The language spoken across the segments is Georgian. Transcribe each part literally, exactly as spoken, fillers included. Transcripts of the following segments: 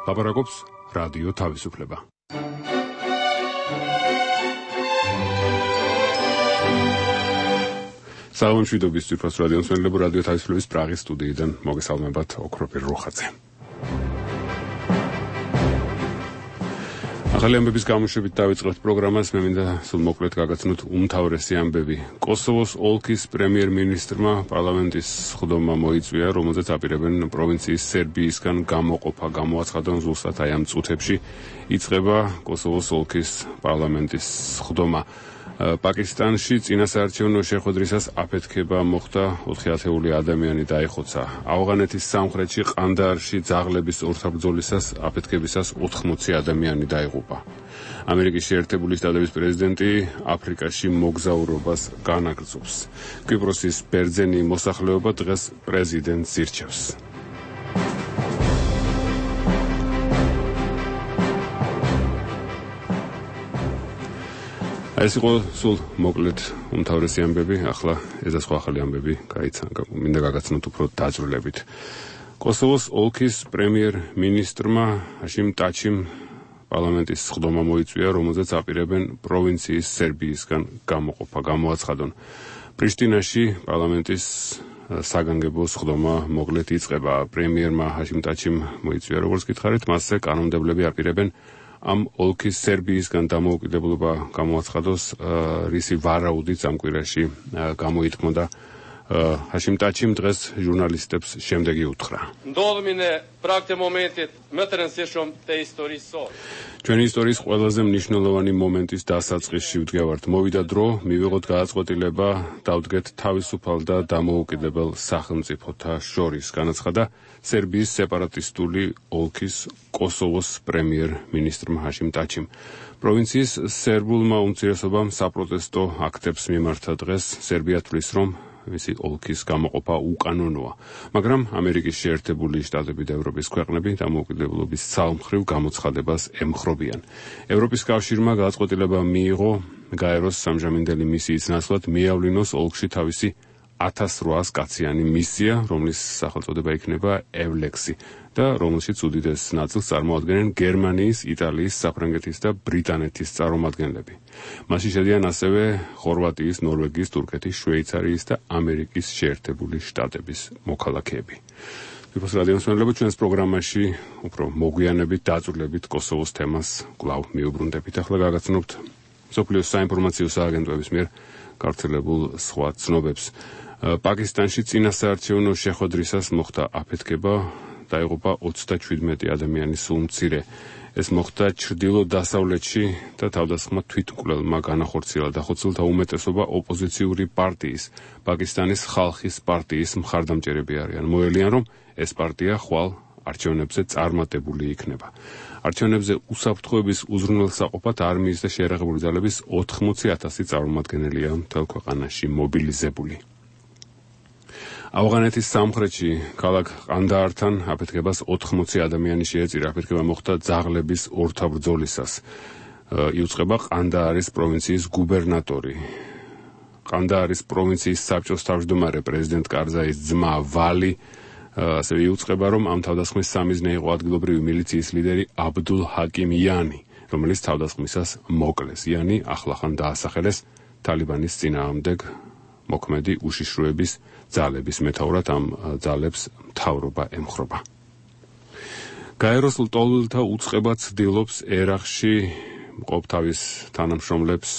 ლაპარაკობს რადიო თავისუფლება. სალამშვიდობის ძვირფას რადიო მსმენელებო, რადიო თავისუფლების პრაღის სტუდიიდან მოგესალმებათ ოქროპირ რუხაძე. ახალი ამბების გამოშვებით დავიწყებთ პროგრამას. მე მინდა სულ მოკლედ გაგაცნოთ უმთავრესი ამბები. კოსოვოს ოლქის პრემიერ-მინისტრმა პარლამენტის სხდომა მოიწვია, რომელზეც აპირებენ პროვინციის სერბიისგან გამოყოფა. გამოაცხადონ ზუსტად აი ამ წუთებში იწყება კოსოვოს ოლქის პარლამენტის სხდომა. პაკისტანში წინასაარჩევნო შეხვედრისას აფეთქება მოხდა, ოთხი ათეული ადამიანი დაიხოცა. ავღანეთის სამხრეთში ყანდაარში ძაღლების ორთაბრძოლისას აფეთქებისას ოთხმოცი ადამიანი დაიღუპა. ამერიკის შეერთებული შტატების პრეზიდენტი აფრიკაში მოგზაურობას განაგრძობს. კვიპროსის ბერძენი მოსახლეობა დღეს პრეზიდენტს ირჩევს. ეს იყო სულ მოკლედ უმთავრესი ამბები, ახლა ედა სხვა ახალი ამბები გაიცან, მინდა გაგაცნოთ უფრო დაწვრილებით. კოსოვოს ოლქის პრემიერ-მინისტრმა ჰაშიმ ტაჩიმ პარლამენტის სხდომა მოიწვია, რომელზეც აპირებენ პროვინციის სერბიისგან გამოყოფა. გამოაცხადონ. პრიშტინაში პარლამენტის საგანგებო სხდომა მოკლედ იწყება. პრემიერმა ჰაშიმ ტაჩიმ მოიწვია, როგორც გითხარით, მასზე კანონმდებლები აპირებენ ამ ოლქის სერბიისგან დამოუკიდებლობა გამოაცხადოს, რისი ვარაუდით ამ კვირაში გამოითქმოდა. ჰაშიმ ტაჩიმ დღეს ჟურნალისტებს შემდეგი უთხრა. ჩვენი ისტორიის ყველაზე მნიშვნელოვანი მომენტის დასაწყისში ვდგევართ. მოვიდა დრო, მივიღოთ გადაწყვეტილება, დავდგეთ თავისუფალ და დამოუკიდებელ სახელმწიფოთა შორის, განაცხადა სერბიის სეპარატისტული ოლქის კოსოვოს პრემიერ-მინისტრმა ჰაშიმ ტაჩიმ. პროვინციის სერბულმა უმცირესობამ საპროტესტო აქტებს მიმართა დღეს. სერბია თვლის, რომ მისი ოლქის გამოყოფა უკანონოა, მაგრამ ამერიკის შეერთებული შტატები და ევროპის ქვეყნები დამოუკიდებლობის ცალმხრივ გამოცხადებას ემხრობიან. ევროპის კავშირმა გადაწყვეტილება მიიღო გაეროს სამჟამინდელი მისიის ნაცვლად მიავლინოს ოლქში თავისი ათას რვაას კაციანი მისია, რომლის სახელწოდება იქნება ევლექსი და რომელშიც უდიდეს ნაწილს წარმოადგენენ გერმანიის, იტალიის, საფრანგეთის და ბრიტანეთის წარმომადგენლები. მასში შედიან ასევე ხორვატიის, ნორვეგიის, თურქეთის, შვეიცარიის და ამერიკის შეერთებული შტატების მოქალაქეები. თვითონ რადიო მსმენელებო, ჩვენს პროგრამაში უფრო მოგვიანებით დაწვრილებით კოსოვოს თემას კვლავ მიუბრუნდებით. ახლა გაგაცნობთ მსოფლიოს საინფორმაციო სააგენტოების მიერ გავრცელებულ სხვა ცნობებს. პაკისტანში წინასაარჩევნო შეხვედრისას მოხდა აფეთქება, დაიღუპა ოცდაშვიდმეტი ადამიანის სულ მცირე. ეს მოხდა ჩრდილო-დასავლეთში და თავდასხმა თვითმკვლელმა განახორციელა. დახოცილთა უმეტესობა ოპოზიციური პარტიის, პაკისტანის ხალხის პარტიის მხარდამჭერები არიან. მოელიან, რომ ეს პარტია ხვალ არჩევნებზე წარმატებული იქნება. არჩევნებზე უსაფრთხოების უზრუნველსაყოფად არმიის და შეიარაღებული ძალების ოთხმოცი ათასი წარმომადგენელია მთელ ქვეყანაში მობილიზებული. ავღანეთის სამხრეთში ქალაქ ყანდაართან აფეთქებას ოთხმოცი ადამიანი შეეწირა. აფეთქება მოხდა ძაღლების ორთაბრძოლისას. იუწყება ყანდაარის პროვინციის გუბერნატორი. ყანდაარის პროვინციის საბჭოს თავმჯდომარე პრეზიდენტ კარზაის ძმა ვალი ასევე იუწყება, რომ ამ თავდასხმის სამიზნე იყო ადგილობრივი მილიციის ლიდერი აბდულ ჰაკიმ იანი, რომელიც თავდასხმისას მოკლეს. იანი ახლახან დაასახელეს თალიბანის წინააღმდეგ მოქმედი უშიშროების ძალების მეთაურად. ამ ძალებს მთავრობა ემხრობა. გაეროს ლტოლვილთა უწყება ცდილობს ერაყში მყოფ თავის თანამშრომლებს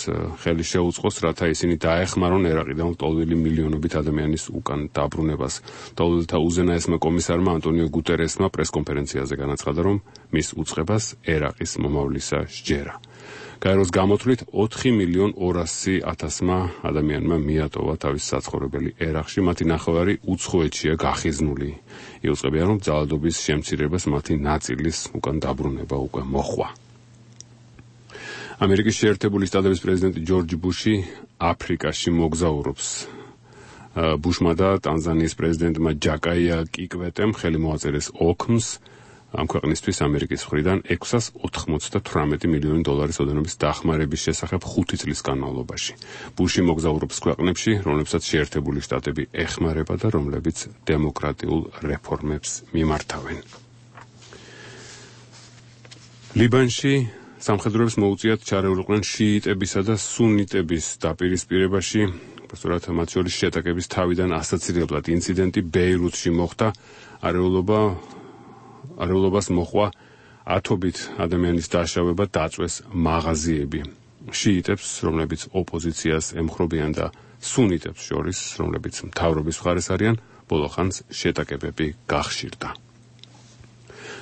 ხელი შეუწყოს, რათა ისინი დაეხმარონ ერაყიდან ლტოლვილი მილიონობით ადამიანის უკან დაბრუნებას. ლტოლვილთა უზენაესმა კომისარმა ანტონიო გუტერესმა პრესკონფერენციაზე განაცხადა, რომ მის უწყებას ერაყის მომავლისა სჯერა. გაეროს გამოთვლით ოთხი მილიონ ორასი ათასმა ადამიანმა მიატოვა თავის საცხოვრებელი ერაყში, მათი ნახევარი უცხოეთშია გახიზნული. იუწყებიან, რომ ძალადობის შემცირებას მათი ნაწილის უკან დაბრუნება უკვე მოხვა. ამერიკის შეერთებული შტატების პრეზიდენტი ჯორჯ ბუში აფრიკაში მოგზაურობს. ბუშმა და ტანზანიის პრეზიდენტმა ჯაკაია კიკვეტემ ხელი მოაწერეს ოქმს ამ ქვეყნისთვის ამერიკის მხრიდან ექვსას ოთხმოცდათვრამეტი მილიონი დოლარის ოდენობის დახმარების შესახებ ხუთი წლის განმავლობაში. ბუში მოგზაურობს ქვეყნებში, რომლებსაც შეერთებული შტატები ეხმარება და რომლებიც დემოკრატიულ რეფორმებს მიმართავენ. ლიბანში სამხედროებს მოუწიათ ჩარეულიყვნენ შიიტებისა და სუნიტების დაპირისპირებაში. Უბრალოდ მათ შორის შეტაკების თავიდან ასაცილებლად ინციდენტი ბეირუთში მოხდა. არეულობა არეულობას მოხვა ათობით ადამიანის დაშავება, დაწვეს მაღაზიები. შიიტებს, რომლებიც ოპოზიციას ემხრობიან და სუნიტებს შორის, რომლებიც მთავრობის მხარეს არიან, ბოლო ხანს შეტაკებები გახშირდა.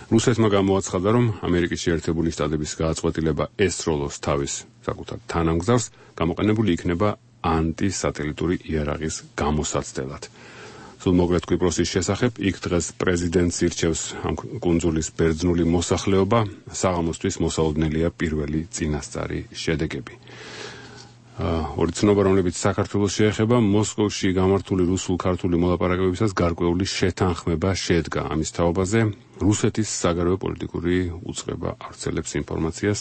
რუსეთმა გამოაცხადა, რომ ამერიკის შეერთებული შტატების გააწყვეტილება ესროლოს თავის საკუთარ თანამგზავრს გამოყენებული იქნება ანტისატელიტური იარაღის გამოსაცდელად. სულმოკლედ კვიპროსის შესახებ იქ დღეს პრეზიდენტს ირჩევს ამ კუნძულის ბერძნული მოსახლეობა, საღამოსთვის მოსაოდნელია პირველი წინასწარი შედეგები. ორი ცნობა, რომლებიც საქართველოს შეეხება, მოსკოვში გამართული რუსულ-ქართული მოლაპარაკებებისას გარკვეული შეთანხმება შედგა. ამის თაობაზე რუსეთის საგარეო პოლიტიკური უწყება ავრცელებს ინფორმაციას.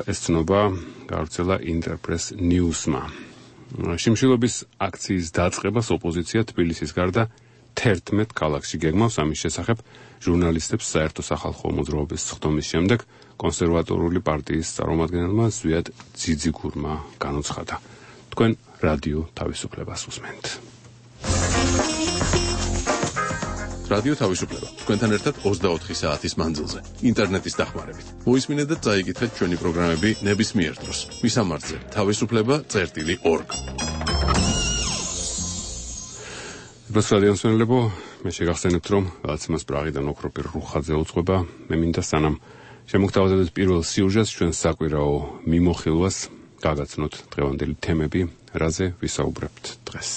ეს ცნობა გავრცელა ინტერპრეს ნიუსმა. შიმშილობის აქციის დაწყებას ოპოზიცია თბილისის გარდა თერთმეტ ქალაქში გეგმავს. ამის შესახებ ჟურნალისტებს საერთო სახალხო მოძრაობის სხდომის შემდეგ კონსერვატორული პარტიის წარმომადგენელმა ზვიად ძიძიგურმა განუცხადა. თქვენ რადიო თავისუფლებას უსმენთ. რადიო თავისუფლება. თქვენთან ერთად ოცდაოთხი საათის მანძილზე. ინტერნეტის დახმარებით. მოისმინეთ და წაიკითხეთ ჩვენი პროგრამები ნებისმიერ დროს. მისამართზე თავისუფლება წერტილი ორგ. ეს რადიოს მენელებო, მე შეგახსენებთ, რომ გაცემას პრაღიდან ოქროპირ რუხაძე უძღვება. მე მინდა სანამ შემოგთავაზებთ პირველ სიუჟეტს, ჩვენ საკვირაო მიმოხილვას გაგაცნოთ დღევანდელი თემები, რაზე ვისაუბრებთ დღეს.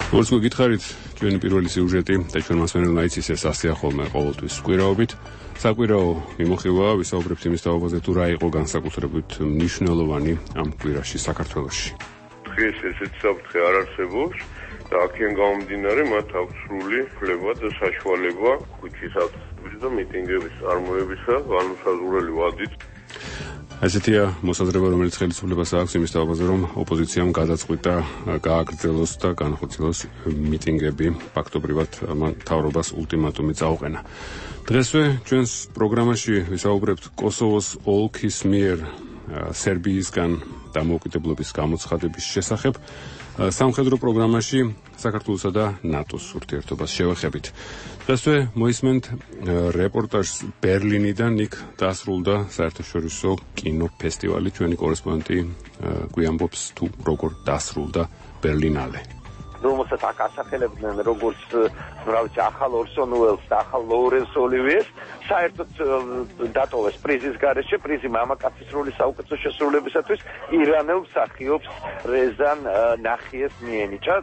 როგორც გითხარით, ჩვენი პირველი სიუჟეტი და ჩვენ მასვენელმა იცის ეს ასეა ხოლმე ყოველთვის კვირაობით. საკვირაო მიმოხილვა ვისაუბრებთ იმის თაობაზე, თუ რა იყო განსაკუთრებით მნიშვნელოვანი ამ კვირაში საქართველოში. დღეს ესეც საფრთხე არ არსებობს და აქედან გამომდინარე მათ აქვს სრული უფლება და საშუალება ქუჩის ავტობუსის და მიტინგების წარმოებისა განუსაზღვრელი ვადით. ასეთია მოსაზრება, რომელიც ხელისუფლებას აქვს იმის თაობაზე, რომ ოპოზიციამ გადაწყვიტა გააგრძელოს და განხორციელოს მიტინგები, ფაქტობრივად მთავრობას ულტიმატუმი წაუყენა. დღესვე ჩვენს პროგრამაში ვისაუბრებთ კოსოვოს ოლქის მიერ სერბიისგან დამოუკიდებლობის გამოცხადების შესახებ. სამხედრო პროგრამაში საქართველოსა და ნატოს ურთიერთობას შევეხებით. დღესვე მოისმენთ რეპორტაჟს ბერლინიდან, იქ დასრულდა საერთაშორისო კინოფესტივალი. ჩვენი კორესპონდენტი გვიამბობს თუ როგორ დასრულდა ბერლინალე. რომელსაც აქ ასახელებდნენ როგორც რა ვიცი ახალ ორსონ უელს და ახალ ლოურენს ოლივიეს, საერთოდ დატოვეს პრიზის გარეშე, პრიზი მამაკაცის როლის საუკეთესო შესრულებისათვის ირანელ მსახიობს რეზან ნახიეს მიენიჭა.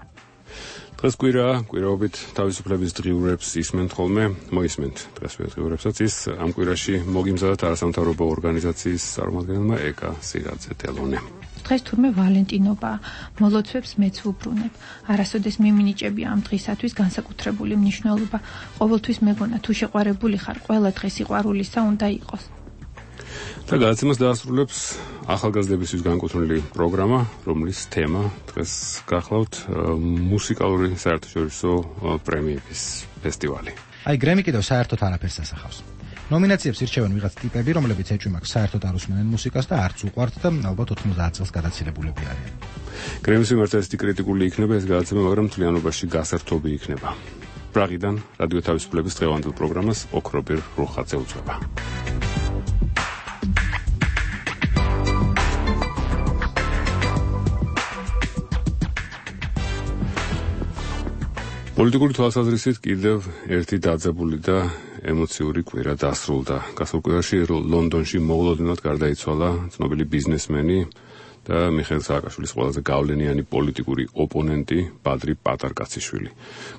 დღეს კვირაა, კვირაობით თავისუფლების დღიურებს ისმენთ ხოლმე, მოისმენთ დღესვე დღიურებსაც. ის ამ კვირაში მოგიმზადათ არასამთავრობო ორგანიზაციის წარმომადგენელმა ეკა სირაძე ტელონე. დღეს თურმე ვალენტინობაა, მოლოცვებს მეც ვუბრუნებ. არასოდეს მიმინიჭები ამ დღისათვის განსაკუთრებული მნიშვნელობა. ყოველთვის მეგონა, თუ შეყვარებული ხარ, ყველა დღე სიყვარულისა უნდა იყოს. და გადაცემას დაასრულებს ახალგაზრდებისთვის განკუთვნილი პროგრამა, რომლის თემა დღეს გახლავთ მუსიკალური საერთაშორისო პრემიების ფესტივალი. აი, გრემი კიდევ საერთოდ არაფერს ასახავს. ნომინაციებს ირჩევენ ვიღაც ტიპები, რომლებიც ეჭვმაკ საერთოდ არ უსმენენ მუსიკას და არც უყვართ და ალბათ ოთხმოცდაათ წელს გადაცილებულები არიან. გრემის მიმართ ესეთი კრიტიკული იქნება ეს გადაცემა, მაგრამ მთლიანობაში გასართობი იქნება. პრაღიდან რადიო თავისუფლების დღევანდელ პროგრამას ოქროპირ რუხაძე უძღვება. პოლიტიკური თვალსაზრისით კიდევ ერთი დაძაბული და ემოციური კვირა დასრულდა. გასულ კვირაში ლონდონში მოულოდნელად გარდაიცვალა ცნობილი ბიზნესმენი და მიხეილ სააკაშვილის ყველაზე გავლენიანი პოლიტიკური ოპონენტი ბადრი პატარკაციშვილი.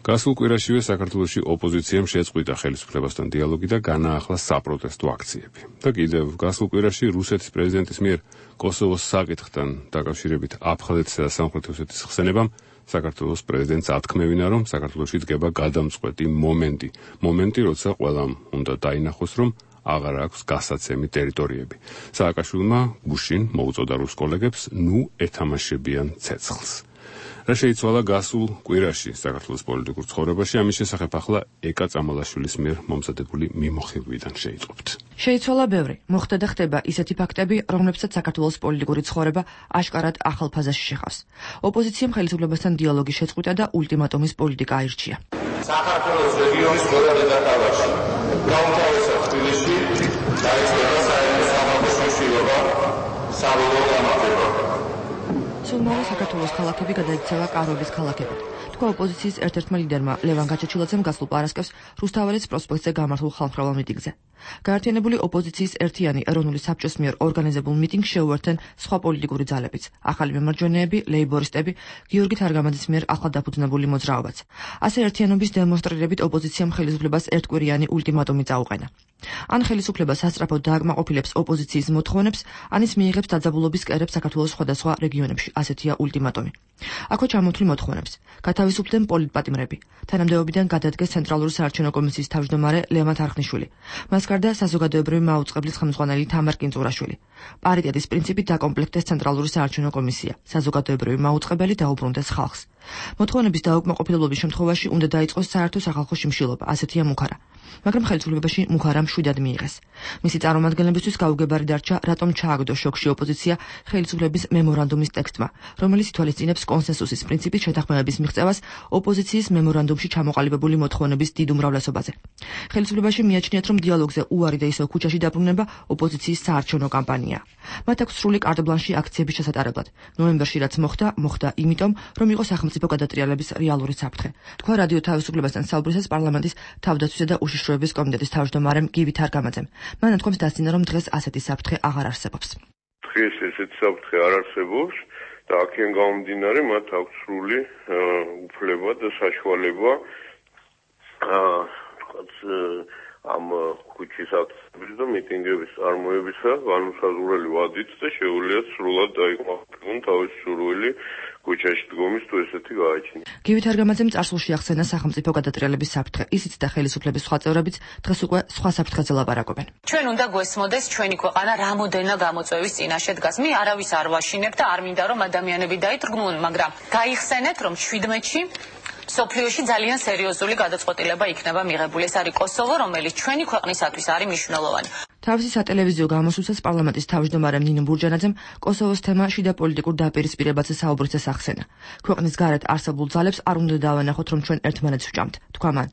გასულ კვირაშივე საქართველოში ოპოზიციამ შეწყვიტა ხელისუფლებასთან დიალოგი და განაახლა საპროტესტო აქციები. და კიდევ გასულ კვირაში რუსეთის პრეზიდენტის მიერ კოსოვოს საკითხთან დაკავშირებით აფხაზეთისა და სამხრეთ ოსეთის ხსენებამ საქართველოს პრეზიდენტს ათქმევინა, რომ საქართველოში დგება გადამწყვეტი მომენტი. მომენტი, როცა ყველამ უნდა დაინახოს, რომ აღარ აქვს გასაცემი ტერიტორიები. სააკაშვილმა გუშინ მოუწოდა რუს კოლეგებს ნუ ეთამაშებიან ცეცხლს. რა შეიცვალა გასულ კვირაში საქართველოს პოლიტიკურ ცხოვრებაში, ამის შესახებ ახლა ეკა წამალაშვილის მიერ მომზადებული მიმოხილვიდან შეიტყობთ. შეიცვალა ბევრი. მოხდა და ხდება ისეთი ფაქტები, რომლებსაც საქართველოს პოლიტიკური ცხოვრება აშკარად ახალ ფაზაში შეხავს. ოპოზიციამ ხელისუფლებასთან დიალოგის შეწყვიტა და ულტიმატუმის პოლიტიკა აირჩია. საქართველოს რეგიონის ყველა დედაქალაქში, გაუმთავრესად თბილისში, დაიწყება საერთო სამართლის მნიშვნელობა, საბოლოო გამარჯვება. სულ საქართველოს ქალაქები გადაიქცევა კარობის ქალაქებად. თქვა ოპოზიციის ერთ-ერთმა ლიდერმა ლევან გაჩეჩილაძემ გასულ პარასკევს რუსთაველის პროსპექტზე გამართულ ხალხმრავალ მიტინგზე. გაერთიანებული ოპოზიციის ერთიანი ეროვნული საბჭოს მიერ ორგანიზებულ მიტინგს შეუერთდნენ სხვა პოლიტიკური ძალებიც, ახალი მემარჯვენეები, ლეიბორისტები, გიორგი თარგამაძის მიერ ახლად დაფუძნებული მოძრაობაც. ასე ერთიანობის დემონსტრირებით ოპოზიციამ ხელისუფლებას ერთკვირიანი ულტიმატუმი წაუყენა. ან ხელისუფლება სასწრაფოდ დააკმაყოფილებს ოპოზიციის მოთხოვნებს, ან ის მიიღებს დაძაბულობის კერებს საქართველოს სხვადასხვა რეგიონებში, ასეთია ულტიმატუმი. აქვე ჩამოთვლი მოთხოვნებს. გათავისუფლდნენ პოლიტპატიმრები. თანამდებობიდან გადადგეს ცენტრალური საარჩევნო კომისიის თავმჯდომარე ლევან თარხნიშვილი. მას გარდა საზოგადოებრივი მაუწყებლის ხელმძღვანელი თამარ კინწურაშვილი. პარიტეტის პრინციპით დაკომპლექტეს ცენტრალური საარჩევნო კომისია. საზოგადოებრივი მაუწყებელი დაუბრუნდეს ხალხს. მოთხოვნების დაუკმაყოფილებლობის შემთხვევაში უნდა დაიწყოს საერთო სახალხო შიმშილობა, ასეთია მუხარა. მაგრამ ხელისუფლებაში მუხარა მშვიდად მიიღეს. მისი წარმომადგენლებისთვის გაუგებარი დარჩა, რატომ ჩააგდო შოქში ოპოზიცია ხელისუფლების მემორანდუმის ტექსტმა, რომელიც ითვალისწინებს კონსენსუსის პრინციპით შეთანხმებების მიღწევას ოპოზიციის მემორანდუმში ჩამოყალიბებული მოთხოვნების დიდ უმრავლესობაზე. ხელისუფლებაში მიაჩნიათ, რომ დიალოგზე უარი და ისევ ქუჩაში დაბრუნება ოპოზიციის საარჩევნო კამპანია. მათ აქვს სრული კარტ-ბლანში აქციების შესატარებლად. ნოემბერში რაც მოხდა, მოხდა იმიტომ, რომ იყო სახელმწიფო გადატრიალების რეალური საფრთხე. თქვა რადიო თავისუფლებასთან საუბრისას პარლამენტის თავდაცვისა და უშიშროების კომიტეტის თავმჯდომარემ გივი თარგამაძემ. მან ათქვამს დასძინა, რომ დღეს ასეთი საფრთხე აღარ არსებობს. დღეს ესეთი საფრთხე არ არსებობს და აქედან გამომდინარე მათ აქვს სრული უფლება და საშუალება ამ ქუჩის აქციების და მიტინგების წარმოებისა განუსაზღვრელი ვადით და შეუძლიათ სრულად დაიკმაყოფილონ თავის სურვილი ქუჩაში დგომის თუ ესეთი გააჩნია. გივი თარგამაძემ წარსულში ახსენა სახელმწიფო გადატრიალების საფრთხე. ისიც და ხელისუფლების სხვა წევრებიც დღეს უკვე სხვა საფრთხეზე ლაპარაკობენ. ჩვენ უნდა გვესმოდეს ჩვენი ქვეყანა რამოდენა გამოწვევის წინაშე დგას. მე არავის არ ვაშინებ და არ მინდა რომ ადამიანები დაიტრგმუნონ, მაგრამ გაიხსენეთ რომ შვიდმეტში სოფლიოში ძალიან სერიოზული გადაწყვეტილება იქნება მიღებული. ეს არის კოსოვო, რომელიც ჩვენი ქვეყნისათვის არის მნიშვნელოვანი. თავისი სატელევიზიო გამოსვლისას პარლამენტის თავმჯდომარე ნინო ბურჯანაძემ კოსოვოს თემა შიდა პოლიტიკურ დაპირისპირებაზე საუბრისას ახსენა. ქვეყნის გარეთ არსებულ ძალებს არ უნდა დავანახოთ, რომ ჩვენ ერთმანეთს ვჭამთ, თქვა მან.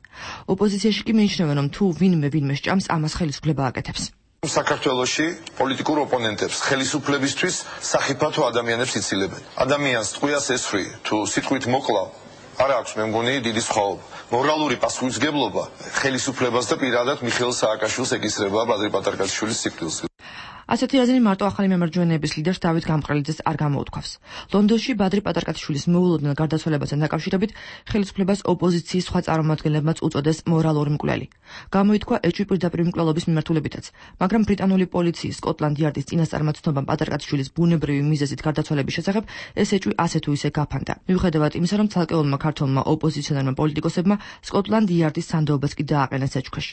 ოპოზიციაში კი მიიჩნევენ, რომ თუ ვინმე ვინმე სჭამს, ამას ხელისუფლება აკეთებს. საქართველოში პოლიტიკურ ოპონენტებს ხელისუფლებისთვის სახიფათო ადამიანებს ციცილებენ. ადამიანს ტყვიას ესხრი თუ სიტყვით მოკლავ არ აქვს მე მგონი დიდი სხვაობა. მორალური პასუხისმგებლობა ხელისუფლებას და პირადად მიხეილ სააკაშვილს ეკისრება ბადრი პატარკაშვილის სიკვდილს. ასეთი აზრი მარტო ახალი მემარჯვენეების ლიდერს დავით გამყრელიძეს არ გამოუთქვავს. ლონდონში ბადრი პატარკაშვილის მოულოდნელ გარდაცვალებასთან დაკავშირებით ხელისუფლებას ოპოზიციის სხვა წარმომადგენლებმაც უწოდეს მორალური მკვლელი. გამოითქვა ეჭვი პირდაპირ მკვლელობის მიმართულებითაც, მაგრამ ბრიტანული პოლიციის სკოტლანდ იარდის წინასწარმეტ ცნობამ პატარკაშვილის ბუნებრივი მიზეზით გარდაცვალების შესახებ ეს ეჭვი ასე თუ ისე გაფანტა. მიუხედავად იმისა, რომ ცალკეულმა ქართველმა ოპოზიციონერმა პოლიტიკოსებმა სკოტლანდ იარდის სანდოობას კი დააყენეს ეჭვქვეშ.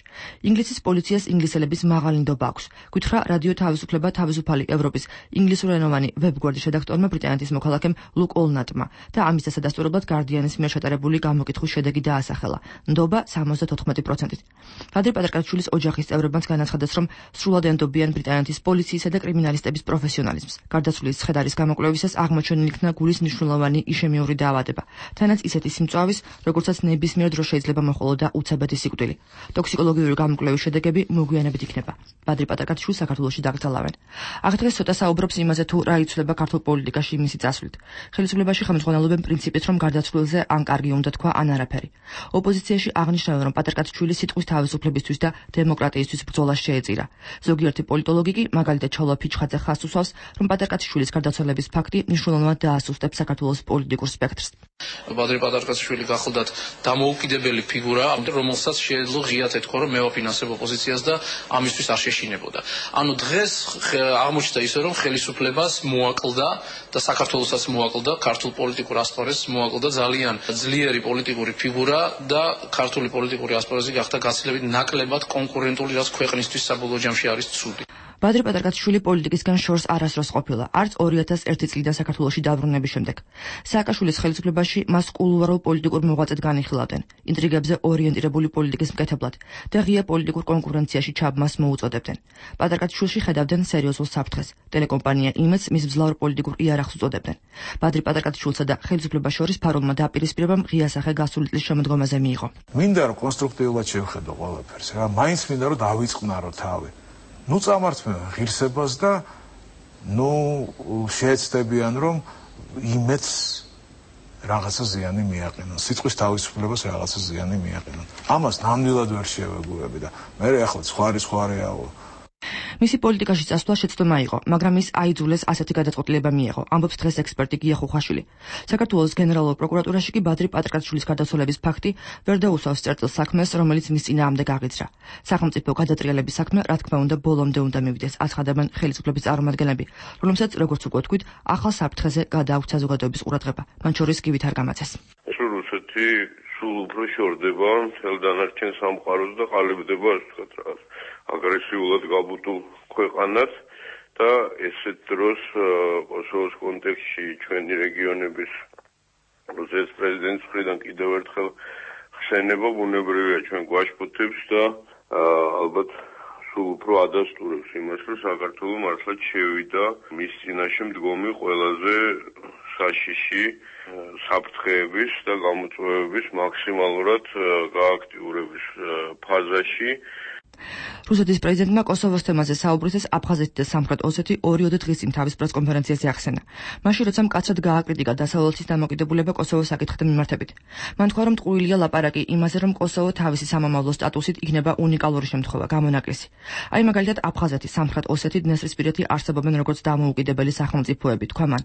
ინგლისის პოლიციას ინგლისელების მაღალი ნდობა აქვს. გითხრა რადიო თავისუფლება თავისუფალი ევროპის ინგლისურენოვანი ვებგვერდის რედაქტორმა ბრიტანეთის მოქალაქემ ლუკ ოლნატმა და ამის დასადასტურებლად გარდიანის მიერ შეტარებული გამოკითხვის შედეგი დაასახელა. ნდობა სამოცდათოთხმეტი პროცენტით. ბადრი პატარკაშვილის ოჯახის წევრებმაც განაცხადეს, რომ სრულად ენდობიან ბრიტანეთის პოლიციისა და კრიმინალისტების პროფესიონალიზმს. გარდაცვლილის ცხედარის გამოკვლევისას აღმოჩენილი იქნა გულის მნიშვნელოვანი იშემიური დაავადება. თანაც ისეთი სიმწვავის, როგორცაც ნებისმიერ დროს შეიძლება მოჰყოლოდა უცებეთი სიკვდილი. ტოქსიკოლოგიური გამოკვლევის შედეგები მოგვიანებით იქნება. ბადრი პატარკაშვილს საქართველოში დაკრძალავენ. აღდგეს ცოტა საუბრობს იმაზე, თუ რა იცვლება ქართულ პოლიტიკაში მისი წასვლით. ხელისუფლებაში ხელმძღვანელობენ პრინციპით, რომ გარდაცვლილზე ან კარგი უნდა თქვა, ან არაფერი. ოპოზიციაში აღნიშნავენ, რომ პატარკაშვილი სიტყვის თავისუფლებისთვის და დემოკრატიისთვის ბრძოლას შეეწირა. ზოგიერთი პოლიტოლოგი კი, მაგალითად ჩავლო ფიჩხაძე ხას უსვავს, რომ პატარკაშვილის გარდაცვალების ფაქტი მნიშვნელოვნად დაასუსტებს საქართველოს პოლიტიკურ სპექტრს. ბადრი პატარკაშვილი გახლდათ დამოუკიდებელი ფიგურა, რომელსაც შეეძლო ღიად ეთქვა, რომ მე ვაფინანსებ ოპოზიციას და ამისთვის არ შეშინებოდა. ანუ დღეს აღმოჩნდა ისე, რომ ხელისუფლებას მოაკლდა და საქართველოსაც მოაკლდა, ქართულ პოლიტიკურ ასპარეზს მოაკლდა ძალიან ძლიერი პოლიტიკური ფიგურა და ქართული პოლიტიკური ასპარეზი გახდა გაცილებით ნაკლებად კონკურენტული, რაც ქვეყნისთვის საბოლოო ჯამში არის ცუდი. ბადრი პატარკაშვილი პოლიტიკისგან შორს არასდროს ყოფილა, არც ორი ათას ერთი წლიდან საქართველოში დაბრუნების შემდეგ. სააკაშვილის ხელისუფლებაში მას კულუარულ პოლიტიკურ მოღვაწედ განიხილავდნენ, ინტრიგებზე ორიენტირებული პოლიტიკის მკეთებლად და ღია პოლიტიკურ კონკურენციაში ჩაბმას მოუწოდებდნენ. პატარკაშვილში ხედავდნენ სერიოზულ საფრთხეს. ტელეკომპანია იმედს მის მძლავრ პოლიტიკურ იარაღს უწოდებდნენ. ბადრი პატარკაშვილსა და ხელისუფლებას შორის ფარულმა დაპირისპირებამ ღია სახე გასული წლის შემოდგომაზე მიიღო. მინდა რომ კონსტრუქტიულად შევხედო ყველაფერს, რა, მაინც მინდა რომ დავიწყნარო თავი. ნუ წამართმევ ღირსებას და ნუ შეეცდებიან რომ იმედს რაღაცა ზიანი მიაყენონ, სიტყვის თავისუფლებას რაღაცა ზიანი მიაყენონ. ამას ნამდვილად ვერ შევეგუები და მე ახლა სხვა სხვა რეალო. მისი პოლიტიკაში წასვლა შეცდომა იყო, მაგრამ ის აიძულეს ასეთი გადაწყვეტილება მიიღო, ამბობს დღეს ექსპერტი გია ხუხაშვილი. საქართველოს გენერალურ პროკურატურაში კი ბადრი პატარკაშვილის გარდაცვალების ფაქტი ვერ დაუსვავს წერტილ საქმეს, რომელიც მის წინააღმდეგ აღიძრა. სახელმწიფო გადატრიალების საქმე, რა თქმა უნდა, ბოლომდე უნდა მივიდეს, აცხადებენ ხელისუფლების წარმომადგენლები, რომელსაც, როგორც უკვე თქვით, ახალ საფრთხეზე გადააქვთ საზოგადოების ყურადღება, მათ შორის კი ვითარ გამაცეს. რუსეთი სულ უფრო შორდება მთელ დანარჩენ სამყაროს და ყალიბდება, ასე ვთქვათ, რაღაც აგრესიულად გაბუტულ ქვეყანად და ესეთ დროს კოსოვოს კონტექსტში ჩვენი რეგიონების რუსეთის პრეზიდენტის მხრიდან კიდევ ერთხელ ხსენება ბუნებრივია ჩვენ გვაშფოთებს და ალბათ სულ უფრო ადასტურებს იმას, რომ საქართველო მართლაც შევიდა მის წინაშე მდგომი ყველაზე საშიში საფრთხეების და გამოწვევების მაქსიმალურად გააქტიურების ფაზაში. რუსეთის პრეზიდენტმა კოსოვოს თემაზე საუბრისას აფხაზეთი და სამხრეთ ოსეთი ორი-ორი დღის წინ თავის პრესკონფერენციაზე ახსენა. მაშინ როცა მკაცრად გააკრიტიკა დასავლეთის დამოკიდებულება კოსოვოს საკითხთან მიმართებით. მან თქვა, რომ ტყუილია ლაპარაკი იმაზე, რომ კოსოვო თავისი სამომავლო სტატუსით იქნება უნიკალური შემთხვევა, გამონაკლისი. აი მაგალითად აფხაზეთი, სამხრეთ ოსეთი, დნესტრისპირეთი არსებობენ როგორც დამოუკიდებელი სახელმწიფოები, თქვა მან.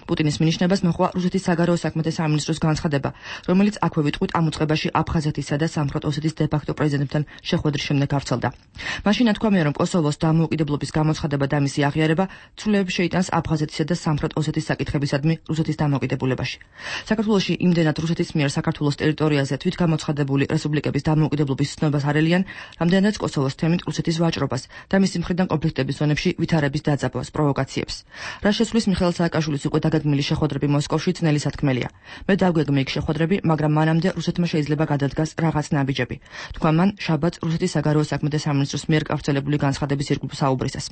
პუტინის მინიშნებას მოჰყვა რუსეთის საგარეო საქმეთა სამინისტროს განცხადება, რომელიც აქვე ვიტყვით ამ უწყებაში აფხაზეთისა და სამხრეთ ოსეთის დე-ფაქტო პრეზიდენტთან შეხვედრის შემდეგ გავრცელდა. მაშინ ათქვამია, რომ კოსოვოს დამოუკიდებლობის გამოცხადება და მისი აღიარება ცვლილებს შეიტანს აფხაზეთისა და სამხრეთ ოსეთის საკითხებისადმი რუსეთის დამოუკიდებლობაში. საქართველოში იმდენად რუსეთის მიერ საქართველოს ტერიტორიაზე თვითგამოცხადებული რესპუბლიკების დამოუკიდებლობის ცნობას არელიან, რამდენადაც კოსოვოს თემით რუსეთის ვაჭრობას და მისი მხრიდან კონფლიქტების ზონებში ვითარების დაძაბვას, პროვოკაციებს. რა შესulis მიხეილ სააკაშვილის უკვე დაგეგმილი შეხვედრები მოსკოვში ძნელი სათქმელია. მე დავგეგმე იქ შეხვედრები, მაგრამ მანამდე რუსეთმა შეიძლება გადადგას რაღაც ნაბიჯები. თქვა მან შაბათს რუსეთის საგარეო საქმეთა სამინისტროს მიერ გავრცელებული განცხადების ირგვლივ საუბრისას.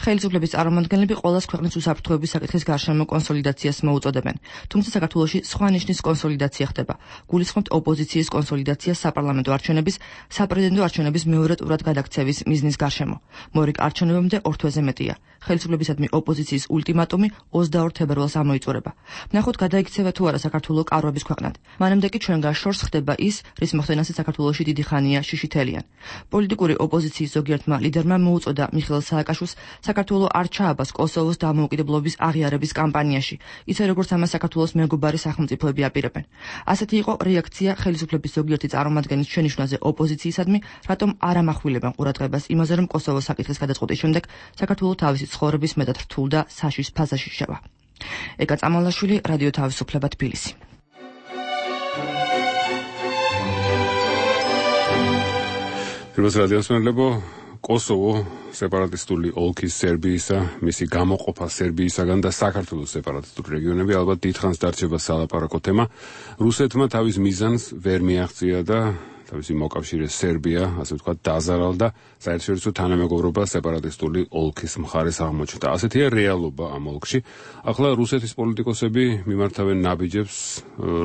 ხელისუფლების წარმომადგენლები ყოველას ქვეყნის უსაფრთხოების საკითხის გარშემო კონსოლიდაციას მოუწოდებენ, თუმცა საქართველოში სხვა ნიშნის კონსოლიდაცია ხდება. გულისხმობთ ოპოზიციის კონსოლიდაციას საპარლამენტო არჩევნების, საპრეზიდენტო არჩევნების მეორე ტურად გადაქცევის მიზნის გარშემო. მორიგ არჩევნებამდე ორ თვეზე მეტია. ხელისუფლებისადმი ოპოზიციის ულტიმატუმი ოცდაორ თებერვალს ამოიწურება. ვნახოთ გადაიქცევა თუ არა საქართველო კარვების ქვეყნად. მანამდე კი ჩვენგან შორს ხდება ის, რის მოხდენასაც საქართველოში დიდი ხანია შიშითელიან. პოლიტიკური ოპოზიციის ზოგიერთმა ლიდერმა მოუწოდა მიხეილ სააკაშვილს საქართველო არ ჩააბას კოსოვოს დამოუკიდებლობის აღიარების კამპანიაში, ისე როგორც ამას საქართველოს მეგობარი სახელმწიფოები აპირებენ. ასეთი იყო რეაქცია ხელისუფლების ზოგიერთი წარმომადგენლის შენიშვნაზე ოპოზიციისადმი, რატომ არ ამახვილებენ ყურადღებას იმაზე, რომ კოსოვოს საკითხის გადაწყვეტის შემდეგ საქართველო თავისი ცხოვრების მეტად რთულ და საშიშ ფაზაში შევა. ეკა წამალაშვილი, რადიო თავისუფლება, თბილისი. Firmas radiosმენლებო, კოსოვო სეპარატისტული ოლქის სერბიისა, მისი გამოყოფა სერბიისაგან და საქართველოს სეპარატისტული რეგიონები ალბათ დიდხანს დარჩება სალაპარაკო თემა. რუსეთმა თავის მიზანს ვერ მიაღწია და თავისი მოკავშირე სერბია, ასე ვთქვათ, დააზარალდა საერთაშორისო თანამეგობრობა სეპარატისტული ოლქის მხარეს აღმოჩნდა. ასეთია რეალობა ამ ოლქში. ახლა რუსეთის პოლიტიკოსები მიმართავენ ნაბიჯებს,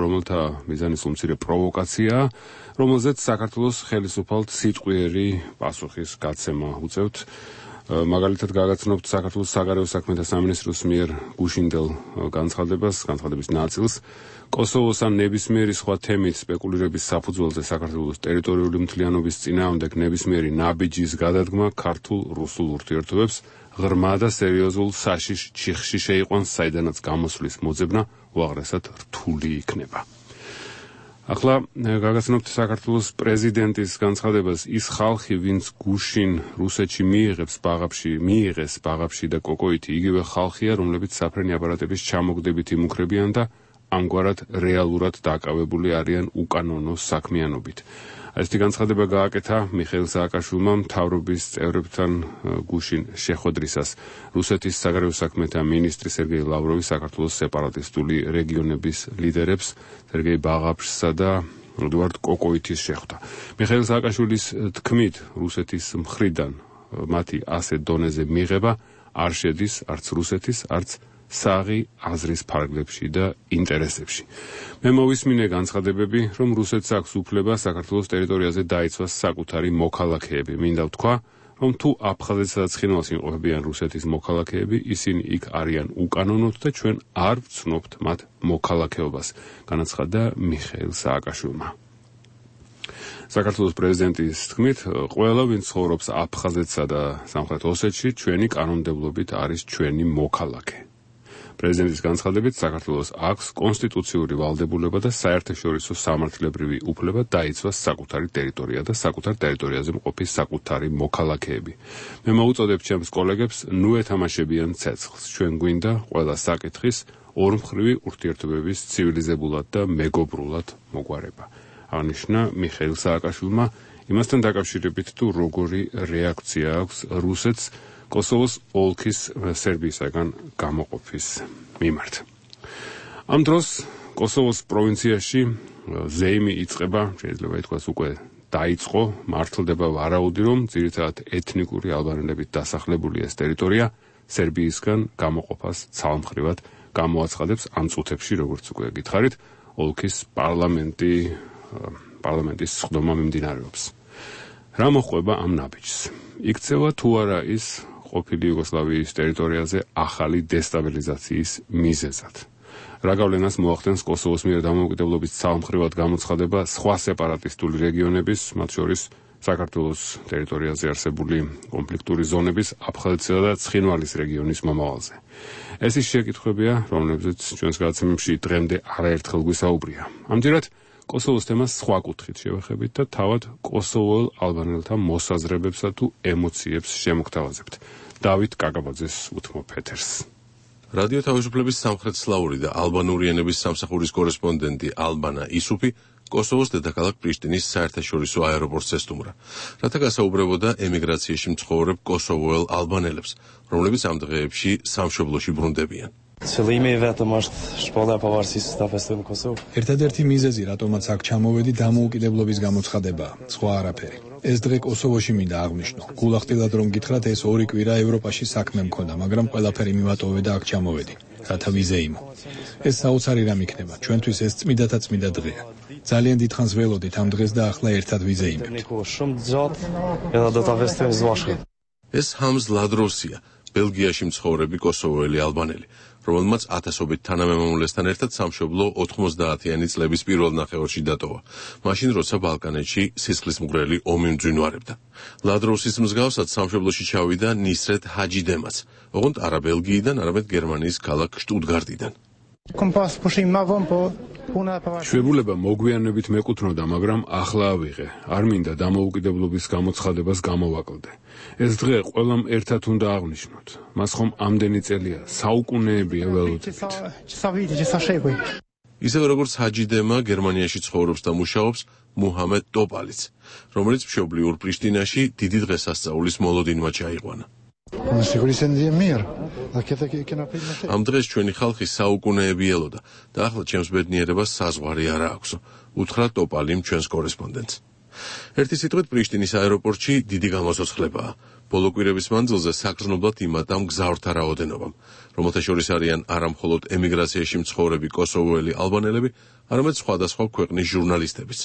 რომელთა მიზანი სულმცირე პროვოკაციაა, რომელზეც საქართველოს ხელისუფალთ სიტყვიერი პასუხის გაცემა უწევთ. მაგალითად გაგაცნობთ საქართველოს საგარეო საქმეთა სამინისტროს მიერ გუშინდელ განცხადებას, განცხადების ნაწილს, კოსოვოს ან ნებისმიერი სხვა თემით სპეკულირების საფუძველზე საქართველოს ტერიტორიული მთლიანობის წინააღმდეგ ნებისმიერი ნაბიჯის გადადგმა ქართულ-რუსულ ურთიერთობებს ღრმა და სერიოზულ საშიშ ჩიხში შეიყვანს, საიდანაც გამოსვლის მოძებნა უაღრესად რთული იქნება. ახლა გაგაცნობთ საქართველოს პრეზიდენტის განცხადებას, ის ხალხი, ვინც გუშინ რუსეთში მიიღებს ბაღებში, მიიღეს ბაღებში და კოკოითი, იგივე ხალხია, რომლებიც საფრენი აპარატების ჩამოგდებით იმუქრებიან და ამგვარად რეალურად დაკავებული არიან უკანონო საქმიანობით. Այսეთი განცხადება გააკეთა მიხეილ სააკაშვილმა მთავრობის წევრებთან გუშინ შეხვედრისას. რუსეთის საგარეო საქმეთა მინისტრი სერგეი ლავროვი საქართველოს სეპარატისტული რეგიონების ლიდერებს სერგეი ბაღაფშსა და ედუარდ კოკოითის შეხვდა. მიხეილ სააკაშვილის თქმით, რუსეთის მხრიდან მათი ასეთ დონეზე მიღება არ შედის არც რუსეთის, არც საღი აზრის ფარგლებში და ინტერესებში. მე მოვისმინე განცხადებები, რომ რუსეთს აქვს უფლება საქართველოს ტერიტორიაზე დაიცვას საკუთარი მოქალაქეები. მინდა ვთქვა, რომ თუ აფხაზეთსა და ცხინვალს იმყოფებიან რუსეთის მოქალაქეები, ისინი იქ არიან უკანონოდ და ჩვენ არ ვცნობთ მათ მოქალაქეობას, განაცხადა მიხეილ სააკაშვილმა. საქართველოს პრეზიდენტის თქმით, ყველა ვინც ცხოვრობს აფხაზეთსა და სამხრეთ ოსეთში, ჩვენი კანონმდებლობით არის ჩვენი მოქალაქე. პრეზიდენტის განცხადებით, საქართველოს აქვს კონსტიტუციური ვალდებულება და საერთაშორისო სამართლებრივი უფლება დაიცვას საკუთარი ტერიტორია და საკუთარ ტერიტორიაზე მყოფი საკუთარი მოქალაქეები. მე მოუწოდებ ჩემს კოლეგებს, ნუ ეთამაშებიან ცეცხლს. ჩვენ გვინდა ყველა საკითხის ორმხრივი ურთიერთობების ცივილიზებულად და მეგობრულად მოგვარება. აღნიშნა მიხეილ სააკაშვილმა იმასთან დაკავშირებით, თუ როგორი რეაქცია აქვს რუსეთს კოსოვოს ოლქის სერბიისაგან გამოყოფის მიმართ. ამ დროს კოსოვოს პროვინციაში ზეიმი იწყება, შეიძლება ითქვას უკვე დაიწყო, მართლდება ვარაუდი, რომ ძირითადად ეთნიკური ალბანელებით დასახლებული ეს ტერიტორია სერბიისგან გამოყოფას ცალმხრივად გამოაცხადებს ამ წუთებში, როგორც უკვე გითხარით, ოლქის პარლამენტი პარლამენტის სხდომა მიმდინარეობს. რა მოხდება ამ ნაბიჯს? იქცევა თუ არა ის ყოფილი იუგოსლავიის ტერიტორიაზე ახალი დესტაბილიზაციის მიზეზად. რა გავლენას მოახდენს კოსოვოს მიერ დამოუკიდებლობის ცალმხრივად გამოცხადება სხვა სეპარატისტული რეგიონების, მათ შორის საქართველოს ტერიტორიაზე არსებული კონფლიქტური ზონების აფხაზეთსა და ცხინვალის რეგიონის მომავალზე. ეს ის შეკითხვებია, რომლებზეც ჩვენს გადაცემებში დღემდე არაერთხელ გვისაუბრია. ამჯერად კოსოვოს თემას სხვა კუთხით შევეხებით და თავად კოსოვოელ ალბანელთა მოსაზრებებსა თუ ემოციებს შემოგთავაზებთ. დავით კაკაბაძეს უთმობ ეთერს. რადიო თავისუფლების სამხრეთსლავური და ალბანური ენების სამსახურის კორესპონდენტი ალბანა ისუფი კოსოვოს დედაქალაქ პრიშტინის საერთაშორისო აეროპორტს ესტუმრა, რათა გასაუბრებოდა ემიგრაციაში მცხოვრებ კოსოვოელ ალბანელებს, რომლებიც ამ დღეებში სამშობლოში ბრუნდებიან. ერთადერთი მიზეზი, რატომაც აქ ჩამოვედი, დამოუკიდებლობის გამოცხადებაა, სხვა არაფერი. ეს დღე კოსოვოში მინდა აღვნიშნო. გულახდილად რომ გითხრათ, ეს ორი კვირა ევროპაში საქმე მქონდა, მაგრამ ყველაფერი მივატოვე და აქ ჩამოვედი, რათა ვიზე იმო. ეს საოცარი რამ იქნება, ჩვენთვის ეს წმიდათა წმიდა დღეა. ძალიან დიდხანს ველოდით ამ დღეს და ახლა ერთად ვიზე იმებთ. ეს ჰამზ ლადროსია, ბელგიაში მცხოვრები კოსოვოელი ალბანელი, რომელმაც ათასობით თანამემამულესთან ერთად სამშობლო ოთხმოცდაათიანი წლების პირველ ნახევარში დატოვა, მაშინ როცა ბალკანეთში სისხლისმღვრელი ომი მძვინვარებდა. ლადროსის მსგავსად სამშობლოში ჩავიდა ნისრეთ ჰაჯიდემაც, ოღონდ არა ბელგიიდან, არამედ გერმანიის ქალაქ შტუტგარტიდან. შვებულება მოგვიანებით მეკუთვნოდა, მაგრამ ახლა ავიღე. არ მინდა დამოუკიდებლობის გამოცხადებას გამოვაკლდე. ეს დღე ყველამ ერთად უნდა აღვნიშნოთ. მას ხომ ამდენი წელია, საუკუნეებია ველოდებით. ისევ როგორც ჰაჯიდემა გერმანიაში ცხოვრობს და მუშაობს მუჰამედ ტოპალიც, რომელიც მშობლიურ პრიშტინაში დიდი დღესასწაულის მოლოდინმა ჩაიყვანა. ამ დღეს ჩვენი ხალხი საუკუნეები ელოდა და ახლა ჩემს ბედნიერებას საზღვარი არა აქვს, უთხრა ტოპალიმ ჩვენს კორესპონდენტს. ერთი სიტყვით პრიშტინის აეროპორტში დიდი გამოსოცხლებაა. ბოლო კვირების მანძილზე საგრძნობლად იმატა მგზავრთა რაოდენობამ, რომელთა შორის არიან არა მხოლოდ ემიგრაციაში მცხოვრები კოსოვოელი ალბანელები, არამედ სხვადასხვა ქვეყნის ჟურნალისტებიც.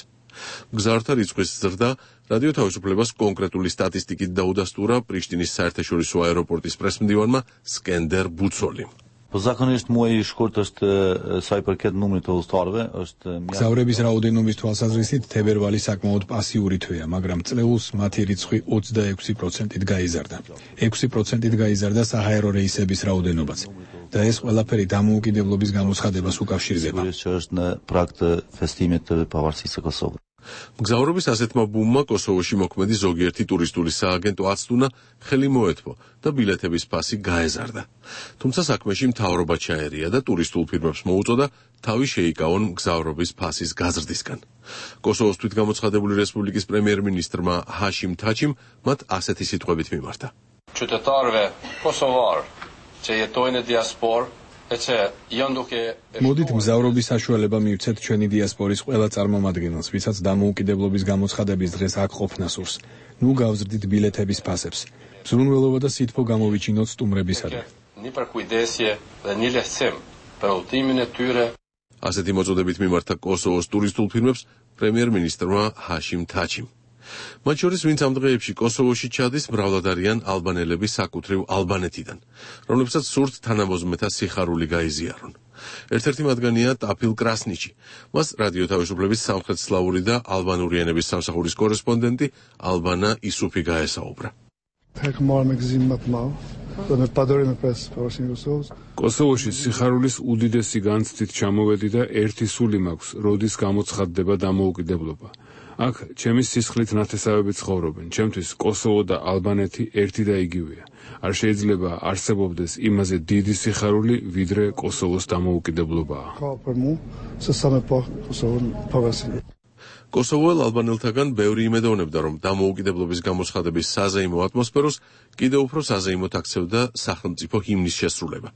მგზავრთა რიცხვის ზრდა რადიო თავისუფლებას კონკრეტული სტატისტიკით დაუდასტურა პრიშტინის საერთაშორისო აეროპორტის პრესმდივანმა სკენდერ ბუცოლიმ. Законность мой школт ост сайпаркет ნომერი თოთვე ост გზავრების რაოდენობის თვალსაზრისით თებერვალი საკმაოდ პასიური თვეა, მაგრამ წლეულს მათი რიცხვი ოცდაექვსი პროცენტით გაიზარდა. ექვსი პროცენტით გაიზარდა საჰაერო რეისების რაოდენობაც და ეს ყველაფერი დამოუკიდებლობის გამოცხადებას უკავშირდება. მგზავრობის ასეთმა ბუმმა კოსოვოში მოქმედი ზოგიერთი ტურისტული სააგენტო აცდუნა ხელი მოეთმო და ბილეთების ფასი გაეზარდა. თუმცა საქმეში მთავრობა ჩაერია და ტურისტულ ფირმებს მოუწოდა თავი შეიკავონ მგზავრობის ფასის გაზრდისგან. კოსოვოს თვითგამოცხადებული რესპუბლიკის პრემიერ-მინისტრმა ჰაშიმ თაჩიმ მათ ასეთი სიტყვებით მიმართა. Qytetarëve kosovar që jetojnë në diasporë მოდით მგზავრობის საშუალება მივცეთ ჩვენი დიასპორის ყველა წარმომადგენელს, ვისაც დამოუკიდებლობის გამოცხადების დღეს აქ ყოფნა სურს. ნუ გავზრდით ბილეთების ფასებს. მზრუნველობა და სითბო გამოვიჩინოთ სტუმრებისადმი. ასეთი მოწოდებით მიმართა კოსოვოს ტურისტულ ფირმებს პრემიერ-მინისტრმა ჰაშიმ თაჩიმ. მათ შორის ვინც ამ დღეებში კოსოვოში ჩადის, მრავლად არიან ალბანელები საკუთრივ ალბანეთიდან, რომლებსაც სურთ თანამოზმეთა სიხარული გაიზიარონ. ერთ-ერთი მათგანია ტაფილ კრასნიჩი. მას რადიო თავისუფლების სამხრეთსლავური და ალბანური ენების სამსახურის კორესპონდენტი ალბანა ისუფი გაესაუბრა. კოსოვოში სიხარულის უდიდესი განცდით ჩამოვედი და ერთი სული მაქვს, როდის გამოცხადდება დამოუკიდებლობა. აქ ჩემი სისხლით ნათესავები ცხოვრობენ. ჩემთვის კოსოვო და ალბანეთი ერთი და იგივეა. არ შეიძლება არსებობდეს იმაზე დიდი სიხარული, ვიდრე კოსოვოს დამოუკიდებლობაა. კოსოვოელ ალბანელთაგან ბევრი იმედოვნებდა, რომ დამოუკიდებლობის გამოცხადების საზეიმო ატმოსფეროს კიდევ უფრო საზეიმოდ აქცევდა სახელმწიფო ჰიმნის შესრულება.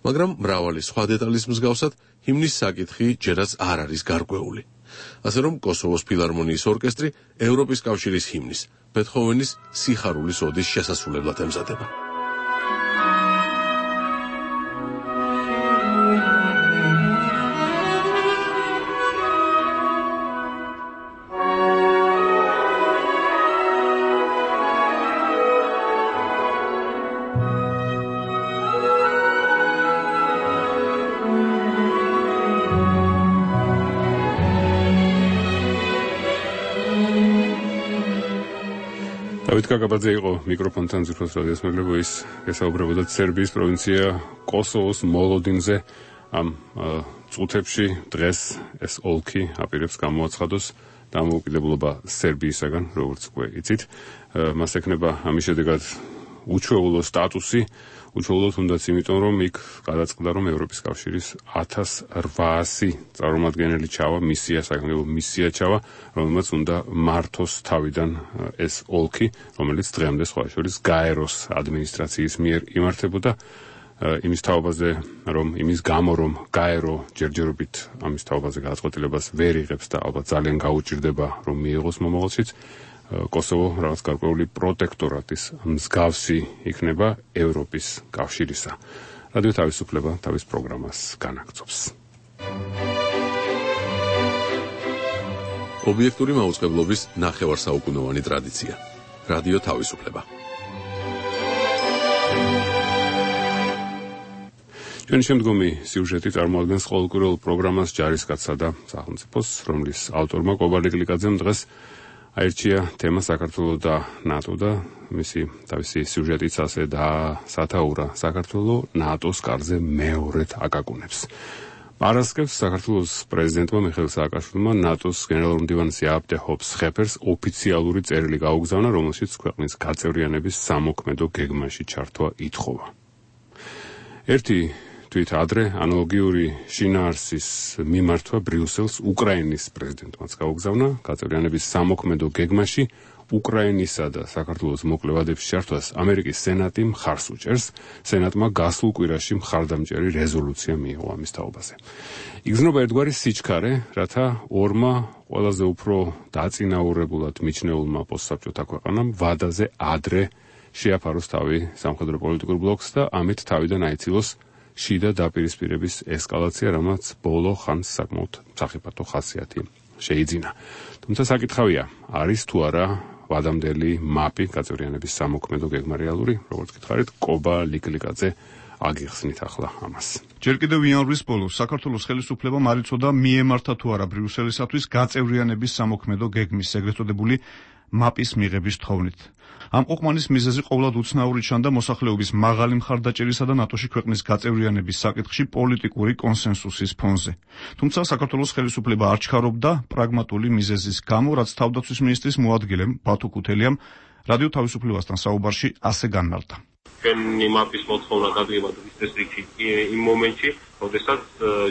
მაგრამ მრავალი სხვა დეტალის მსგავსად, ჰიმნის საკითხი ჯერაც არ არის გარკვეული. ასე რომ კოსოვოს ფილარმონიის ორკესტრი ევროპის კავშირის ჰიმნის, ბეთჰოვენის სიხარულის ოდის შესასრულებლად ემზადება. დავით კაკაბაძე იყო მიკროფონთან ზირფოს რადიოს მეგობრებო, ის გესაუბრებოდა სერბიის პროვინცია კოსოვოს მოლოდინზე. ამ წუთებში დღეს ეს ოლქი აპირებს გამოაცხადოს დამოუკიდებლობა სერბიისაგან, როგორც უკვე იცით. მას ექნება ამის შედეგად უჩვეულო სტატუსი, უჩვეულო თუნდაც იმიტომ, რომ იქ გადაწყდა, რომ ევროპის კავშირის ათას რვაასი წარმომადგენელი ჩავა, მისია, საკანონმდებლო მისია ჩავა, რომელმაც უნდა მართოს თავიდან ეს ოლქი, რომელიც დღემდე სხვა შორის გაეროს ადმინისტრაციის მიერ იმართებოდა. იმის თაობაზე, რომ იმის გამო, რომ გაერო ჯერჯერობით ამის თაობაზე გადაწყვეტილებას ვერ იღებს და ალბათ ძალიან გაუჭირდება, რომ მიიღოს მომავალშიც, კოსოვო რაღაც გარკვეული პროტექტორატის მსგავსი იქნება ევროპის კავშირისა. რადიო თავისუფლება თავის პროგრამას განაგრძობს. ობიექტური მაუწყებლობის ნახევარსაუკუნოვანი ტრადიცია. რადიო თავისუფლება. ჩვენი შემდგომი სიუჟეტი წარმოადგენს ყოველკვირეულ პროგრამას ჯარისკაცსა და სახელმწიფოს, რომლის ავტორმა კობალე გლიკაძემ დღეს აირჩია თემა საქართველო და ნატო და მისი თავისი სიუჟეტიც ასე დაასათაურა საქართველო ნატოს კარზე მეორედ აკაკუნებს. პარასკევს საქართველოს პრეზიდენტმა მიხეილ სააკაშვილმა ნატოს გენერალურ მდივანს იაპ დე ჰოპს ხეფერს ოფიციალური წერილი გაუგზავნა, რომელშიც ქვეყნის გაწევრიანების სამოქმედო გეგმაში ჩართვა ითხოვა. ერთი თვით ადრე ანალოგიური შინაარსის მიმართვა ბრიუსელს უკრაინის პრეზიდენტმაც გაუგზავნა გაწევრიანების სამოქმედო გეგმაში უკრაინისა და საქართველოს მოკლევადების ჩართვას ამერიკის სენატი მხარს უჭერს. სენატმა გასულ კვირაში მხარდამჭერი რეზოლუცია მიიღო ამის თაობაზე. იგრძნობა ერთგვარი სიჩქარე, რათა ორმა ყველაზე უფრო დაწინაურებულად მიჩნეულმა პოსტსაბჭოთა ქვეყანამ ვადაზე ადრე შეაფაროს თავი სამხედრო პოლიტიკურ ბლოკს და ამით თავიდან აიცილოს შიდა დაპირისპირების ესკალაცია, რამაც ბოლო ხანს საკმაოდ სახიფათო ხასიათი შეიძინა. თუმცა საკითხავია, არის თუ არა ვადამდელი მაპი გაწევრიანების სამოქმედო გეგმა რეალური, როგორც გითხარით, კობა ლიკლიკაძე აგიხსნით ახლა ამას. ჯერ კიდევ იანვრის ბოლოს საქართველოს ხელისუფლებამ არ იცოდა მიემართა თუ არა ბრიუსელისათვის გაწევრიანების სამოქმედო გეგმის ეგრეთ წოდებული მაპის მიღების თხოვნით. ამ ყოყმანის მიზეზი ყოვლად უცნაური ჩანდა მოსახლეობის მაღალი მხარდაჭერისა და ნატოში ქვეყნის გაწევრიანების საკითხში პოლიტიკური კონსენსუსის ფონზე. თუმცა საქართველოს ხელისუფლება არ ჩქარობდა პრაგმატული მიზეზის გამო, რაც თავდაცვის მინისტრის მოადგილემ ბათუ ქუთელიამ რადიო თავისუფლებასთან საუბარში ასე განმარტა. ჩვენი მაპის მოთხოვნა გადაიღება დღის რიგში იმ მომენტში, როდესაც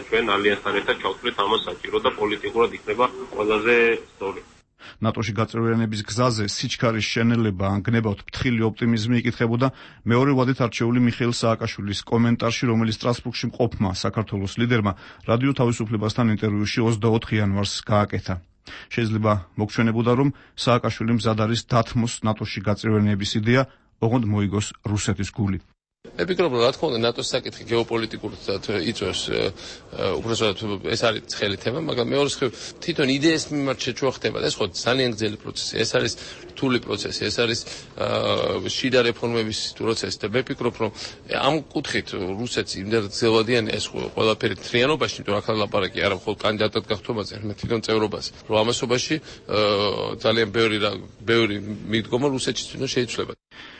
ჩვენ ალიანსთან ერთად ჩავთვლით ამას საჭირო და პოლიტიკურად იქნება ყველაზე სწორი. ნატოში გაწევრიანების გზაზე სიჩქარის შენელება ან გნებავთ ფრთხილი ოპტიმიზმი იკითხებოდა მეორე ვადით არჩეული მიხეილ სააკაშვილის კომენტარში, რომელიც სტრასბურგში მყოფმა საქართველოს ლიდერმა რადიო თავისუფლებასთან ინტერვიუში ოცდაოთხ იანვარს გააკეთა. შეიძლება მოგჩვენებოდა, რომ სააკაშვილი მზად არის დათმოს ნატოში გაწევრიანების იდეა, ოღონდ მოიგოს რუსეთის გული. მე ვფიქრობ, რომ რა თქმა უნდა ნატოს საკითხი გეოპოლიტიკურად იწვევს, უბრალოდ ეს არის ცხელი თემა, მაგრამ მეორე მხრივ თვითონ იდეის მიმართ შეჭრა ხდება და ეს ხო ძალიან გრძელი პროცესი, ეს არის რთული პროცესი, ეს არის შიდა რეფორმების პროცესი და მე ვფიქრობ, რომ ამ კუთხით რუსეთს იმდენად გრძელვადიანი ეს ყველაფერი თრიანობაში, იმიტომ რომ აქ ლაპარაკი არა მხოლოდ კანდიდატად გახდომაზე, არამედ თვითონ წევრობაზე, რომ ამასობაში ძალიან ბევრი ბევრი მიდგომა რუსეთში თვითონ შეიცვლება.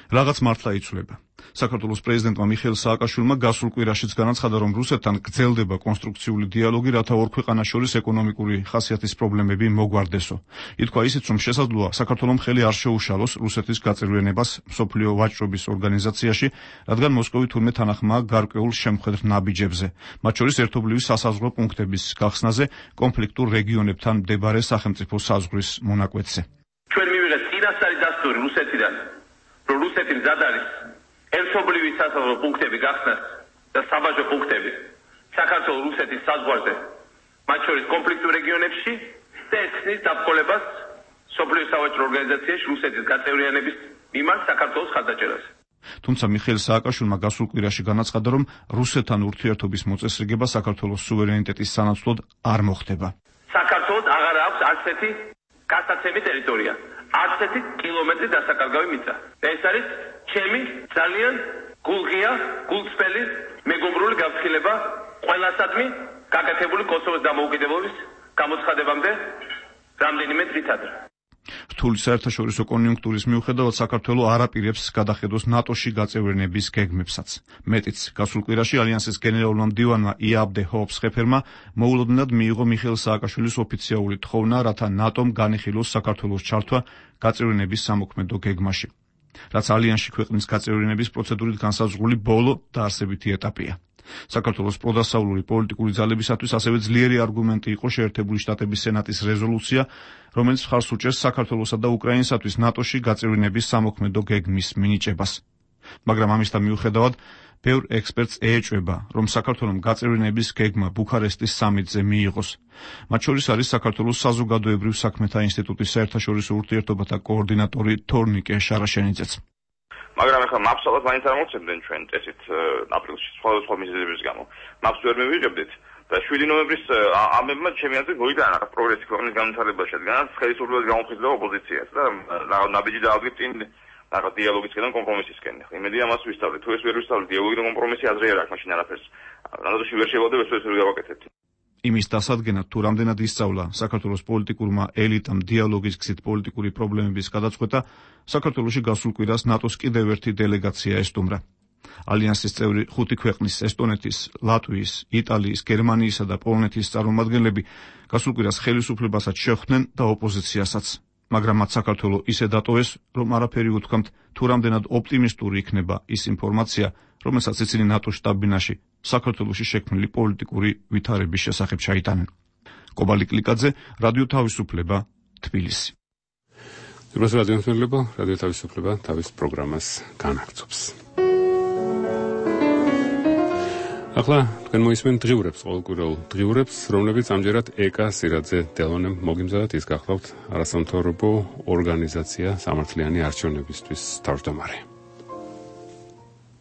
რაღაც მართლა იცვლება. საქართველოს პრეზიდენტმა მიხეილ სააკაშვილმა გასულ კვირაშიც განაცხადა, რომ რუსეთთან გრძელდება კონსტრუქციული დიალოგი, რათა ორ ქვეყანას შორის ეკონომიკური ხასიათის პრობლემები მოგვარდესო. ითქვა ისიც, რომ შესაძლოა საქართველოს ხელი არ შეუშალოს რუსეთის გაწევრიანებას მსოფლიო ვაჭრობის ორგანიზაციაში, რადგან მოსკოვი თურმე თანახმაა გარკვეულ შემხედრ ნაბიჯებზე, მათ შორის ერთობლივი სასაზღვრო პუნქტების გახსნაზე კონფლიქტურ რეგიონებთან მდებარე სახელმწიფო საზღვრის მონაკვეთზე. ჩვენ მივიღეთ წინასწარი დასტური რუსეთიდან, რომ რუსეთი მზად არის ერთობლივი სასაზღვრო პუნქტები გახსნას და საბაჟო პუნქტები საქართველოს რუსეთის საზღვარზე, მათ შორის კონფლიქტურ რეგიონებში და ეთნის დაბრძოლებას მსოფლიო სავაჭრო ორგანიზაციაში რუსეთის გაწევრიანების მიმართ საქართველოს ხარდაჭერაზე. თუმცა მიხეილ სააკაშვილმა გასულ კვირაში განაცხადა, რომ რუსეთთან ურთიერთობის მოწესრიგება საქართველოს სუვერენიტეტის სანაცვლოდ არ მოხდება. საქართველოს აღარ აქვს არც ერთი გასაცემი ტერიტორია, არც ერთი კილომეტრი დასაკარგავი მიწა. და ეს არის ჩემი ძალიან გულღია, გულწრფელი მეგობრული გაფრთხილება ყველასადმი გაკეთებული კოსოვოს დამოუკიდებლობის გამოცხადებამდე რამდენიმე დღით ადრე. რთული საერთაშორისო კონიუნქტურის მიუხედავად საქართველო არ აპირებს გადახედოს ნატოში გაწევრიანების გეგმებსაც. მეტიც, გასულ კვირაში ალიანსის გენერალურმა მდივანმა იაბდე ჰოფსხეფერმა მოულოდნელად მიიღო მიხეილ სააკაშვილის ოფიციალური თხოვნა, რათა ნატომ განიხილოს საქართველოს ჩართვა გაწევრიანების სამოქმედო გეგმაში, რაც ალიანსში ქვეყნის გაწევრიანების პროცედურით განსაზღვრული ბოლო დაარსებითი ეტაპია. საქართველოს პროდასავლური პოლიტიკური ძალებისათვის ასევე ძლიერი არგუმენტი იყო შეერთებული შტატების სენატის რეზოლუცია, რომელიც მხარს უჭერს საქართველოსა და უკრაინისათვის ნატოში გაწევრიანების სამოქმედო გეგმის მინიჭებას. მაგრამ ამისთან მიუხედავად, ბევრ ექსპერტს ეეჭვება, რომ საქართველოს გაწევრიანების გეგმა ბუქარესტის სამიტზე მიიღოს. მათ შორის არის საქართველოს საზოგადოებრივ საქმეთა ინსტიტუტის საერთაშორისო ურთიერთობათა კოორდინატორი თორნიკე შარაშენიძეც. მაგრამ ახლა მაპსალად მაინც არ მოვცემდნენ ჩვენ წესით აპრილში სხვადასხვა მიზეზების გამო. მაპს ვერ მივიღებდით და შვიდი ნოემბრის ამებმა ჩემი აზრით მოიტანა რაღაც პროგრესი ქვეყნის განვითარებაში, რადგანაც ხელისუფლებას გამოფხიზდა ოპოზიციას და ნაბიჯი დაადგეთ წინ რაღაც დიალოგისკენ, კომპრომისისკენ. იმედია მას ვისწავლეთ. თუ ეს ვერ ვისწავლეთ, დიალოგი და კომპრომისი აზრი არ აქვს მაშინ არაფერს. რადგანაც ვერ შევადებ, ეს ვერ გავაკეთებთ. იმის დასადგენად, თუ რამდენად ისწავლა საქართველოს პოლიტიკურმა ელიტამ დიალოგის გზით პოლიტიკური პრობლემების გადაწყვეტა, საქართველოში გასულ კვირას ნატოს კიდევ ერთი დელეგაცია ესტუმრა. ალიანსის წევრი ხუთი ქვეყნის ესტონეთის, ლატვიის, იტალიის, გერმანიისა და პოლონეთის წარმომადგენლები გასულ კვირას ხელისუფლებასაც შეხვდნენ და ოპოზიციასაც. მაგრამ მათ საქართველო ისე დატოვეს, რომ არაფერი უთქვამთ, თუ რამდენად ოპტიმისტური იქნება ის ინფორმაცია, რომელსაც ისინი ნატოს შტაბ-ბინაში საქართველოში შექმნილი პოლიტიკური ვითარების შესახებ ჩაიტანენ. კობალი კლიკაძე, რადიო თავისუფლება, თბილისი. უბრალოდ რადიო თავისუფლება, რადიო თავისუფლება თავის პროგრამას განაგრძობს. ახლა თქვენ მოისმენთ დღიურებს, ყოველკვირეულ დღიურებს, რომლებიც ამჯერად ეკა სირაძე დელონემ მოგიმზადათ, ის გახლავთ არასამთავრობო ორგანიზაცია სამართლიანი არჩევნებისთვის თავმჯდომარე.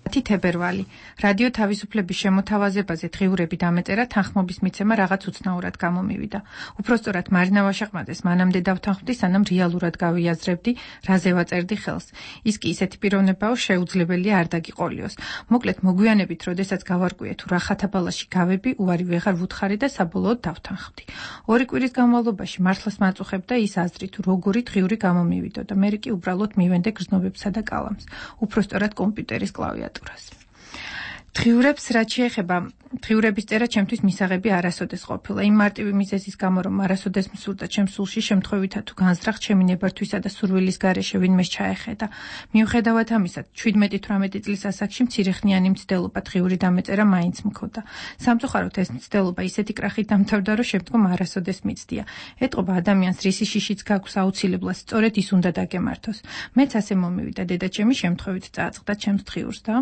თებერვალი. რადიო თავისუფლების შემოთავაზებაზე დღიურები დამეწერა თანხმობის მიცემა რაღაც უცნაურად გამომივიდა. უпростоრად მარინა ვაშაყმაძეს მანამდე დავთანხმდი, სანამ რეალურად გავიაზრებდი, რაზე ვაწერდი ხელს. ის კი ისეთი პიროვნებაა, შეუძლებელია არ დაგიყოლიოს. მოკლედ მოგვიანებით, როდესაც გავარკვიე თუ რა ხათაბალაში გავები, უარი ვეღარ ვუთხარი და საბოლოოდ დავთანხმდი. ორი კვირის განმავლობაში მართლაც მაწუხებდა ის აზრი, თუ როგორი დღიური გამომივიდოდა. მე კი უბრალოდ მივენდე გრძნობებსა და კალამს. უпростоრად კომპიუტერის კლავიატურას. დღიურებს რაც შეეხება, დღიურების წერა ჩემთვის მისაღები არასოდეს ყოფილა. იმ მარტივი მიზეზის გამო, რომ არასოდეს მსურდა ჩემს სულში შემთხვევითად თუ განზრახ ჩემი ნებართვისა და სურვილის გარეშე ვინმეს ჩაეხედა. მიუხედავად ამისა, შვიდმეტი თვრამეტი წლის ასაკში მცირეხნიანი მცდელობა დღიური დამეწერა მაინც მქონდა. სამწუხაროდ ეს მცდელობა ისეთი კრახით დამთავრდა, რომ შემდგომ არასოდეს მიცდია. ეტყობა ადამიანს რისი შიშიც გაქვს აუცილებლად, სწორედ ის უნდა დაგემართოს. მეც ასე მომივიდა, დედაჩემი შემთხვევით წააწყდა ჩემს დღიურს და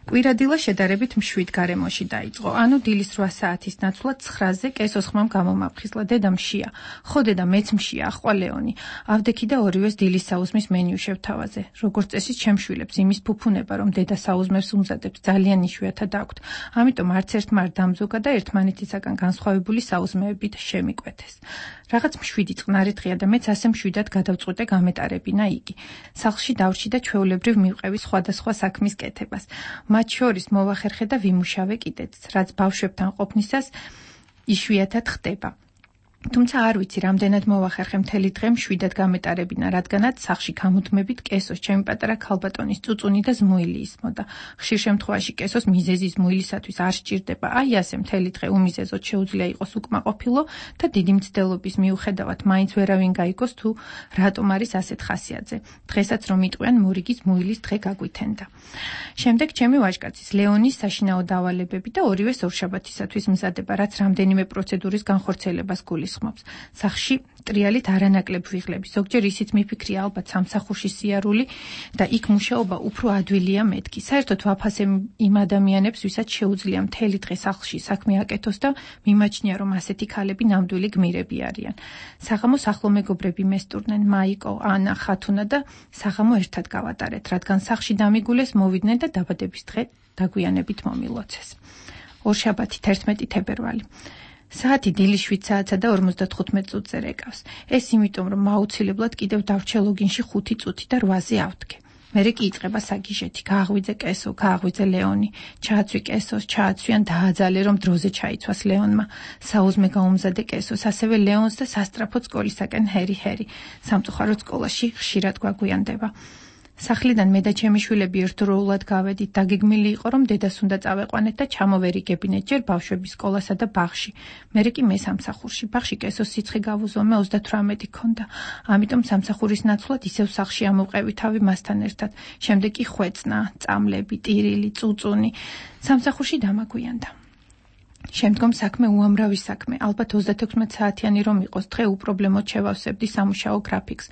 კვირადილა შედარებით მშვიდ გარემოში დაიწყო. ანუ დილის რვა საათის ნაცვლად ცხრაზე კესოს ხმამ გამომაფხიზლა. დედა მშია. ხო დედა მეც მშია, ახვა ლეონი. ავდექი და ორივეს დილის საუზმის მენიუ შევთავაზე. როგორც წესი ჩემს შვილებს იმის ფუფუნება, რომ დედა საუზმებს უმზადებს, ძალიან იშვიათად აქვთ. ამიტომ არც ერთმა არ დამზოგა და ერთმანეთისაგან განსხვავებული საუზმეებით შემიკვეთეს. რაღაც მშვიდი წყნარი დღეა და მეც ასე მშვიდად გადავწყვიტე გამეტარებინა იგი. სახლში დავრჩი და ჩვეულებრივ მივყევი სხვადასხვა საქმის კეთებას. მათ შორის მოვახერხე და ვიმუშავე კიდეც, რაც ბავშვებთან ყოფნისას იშვიათად ხდება. თუმცა არ ვიცი, რამდენად მოვახერხე მთელი დღე მშვიდად გამეტარებინა, რადგანაც სახლში გამუდმებით კესოს ჩემი პატარა ქალბატონის წუწუნი და ზმუილი ისმოდა. ხშირ შემთხვევაში კესოს მიზეზი ზმუილისათვის არ სჭირდება. აი ასე მთელი დღე უმიზეზოდ შეუძლია იყოს უკმაყოფილო და დიდი მცდელობის მიუხედავად მაინც ვერავინ გაიგოს თუ რატომ არის ასეთ ხასიათზე. დღესაც რომ იტყვიან მორიგი ზმუილის დღე გაგვითენდა. შემდეგ ჩემი ვაჟკაცის ლეონის საშინაო დავალებები და ორივეს ორშაბათისათვის მზადება, რაც რამდენიმე პროცედურის განხორციელებას გულისხმობს. სახლში ტრიალით არანაკლებ ვიღლები. ზოგჯერ ისიც მიფიქრია ალბათ სამსახურში სიარული და იქ მუშაობა უფრო ადვილია მეთქი. საერთოდ ვაფასე იმ ადამიანებს, ვისაც შეუძლია მთელი დღე სახლში საქმე აკეთოს და მიმაჩნია, რომ ასეთი ქალები ნამდვილი გმირები არიან. საღამოს ახლო მეგობრები მესტურნენ, მაიკო, ანა, ხათუნა და საღამო ერთად გავატარეთ, რადგან სახლში დამიგულეს მოვიდნენ და დაბადების დღე დაგვიანებით მომილოცეს. ორშაბათი თერთმეტი თებერვალი. საათი დილის შვიდ საათსა და ორმოცდათხუთმეტ წუთზე რეკავს. ეს იმიტომ, რომ აუცილებლად კიდევ დავრჩე ლოგინში ხუთი წუთი და რვაზე ავდგე. მერე კი იწყება საგიჟეთი. გააღვიძე კესო, გააღვიძე ლეონი. ჩააცვი კესოს, ჩააცვიან დააძალე, რომ დროზე ჩაიცვას ლეონმა. საუზმე გაუმზადე კესოს, ასევე ლეონს და სასტრაფოდ სკოლისაკენ ჰერი-ჰერი. სამწუხაროდ სკოლაში ხშირად გვაგვიანდება. სახლიდან მე და ჩემი შვილები ერთდროულად გავედით. დაგეგმილი იყო, რომ დედას უნდა წავეყვანეთ და ჩამოვერიგებინეთ ჯერ ბავშვების სკოლასა და ბაღში. მერე კი მე სამსახურში. ბაღში კესოს სიცხე გავუზო, მე ოცდათვრამეტი ქონდა. ამიტომ სამსახურის ნაცვლად ისევ სახლში ამოვყევი თავი მასთან ერთად. შემდეგ კი ხვეწნა, წამლები, ტირილი, წუწუნი. სამსახურში დამაგვიანდა. შემდგომ საქმე უამრავი საქმე. ალბათ ოცდათექვსმეტ საათიანი რომ იყოს, დღე უპრობლემოდ შევავსებდი სამუშაო გრაფიკს.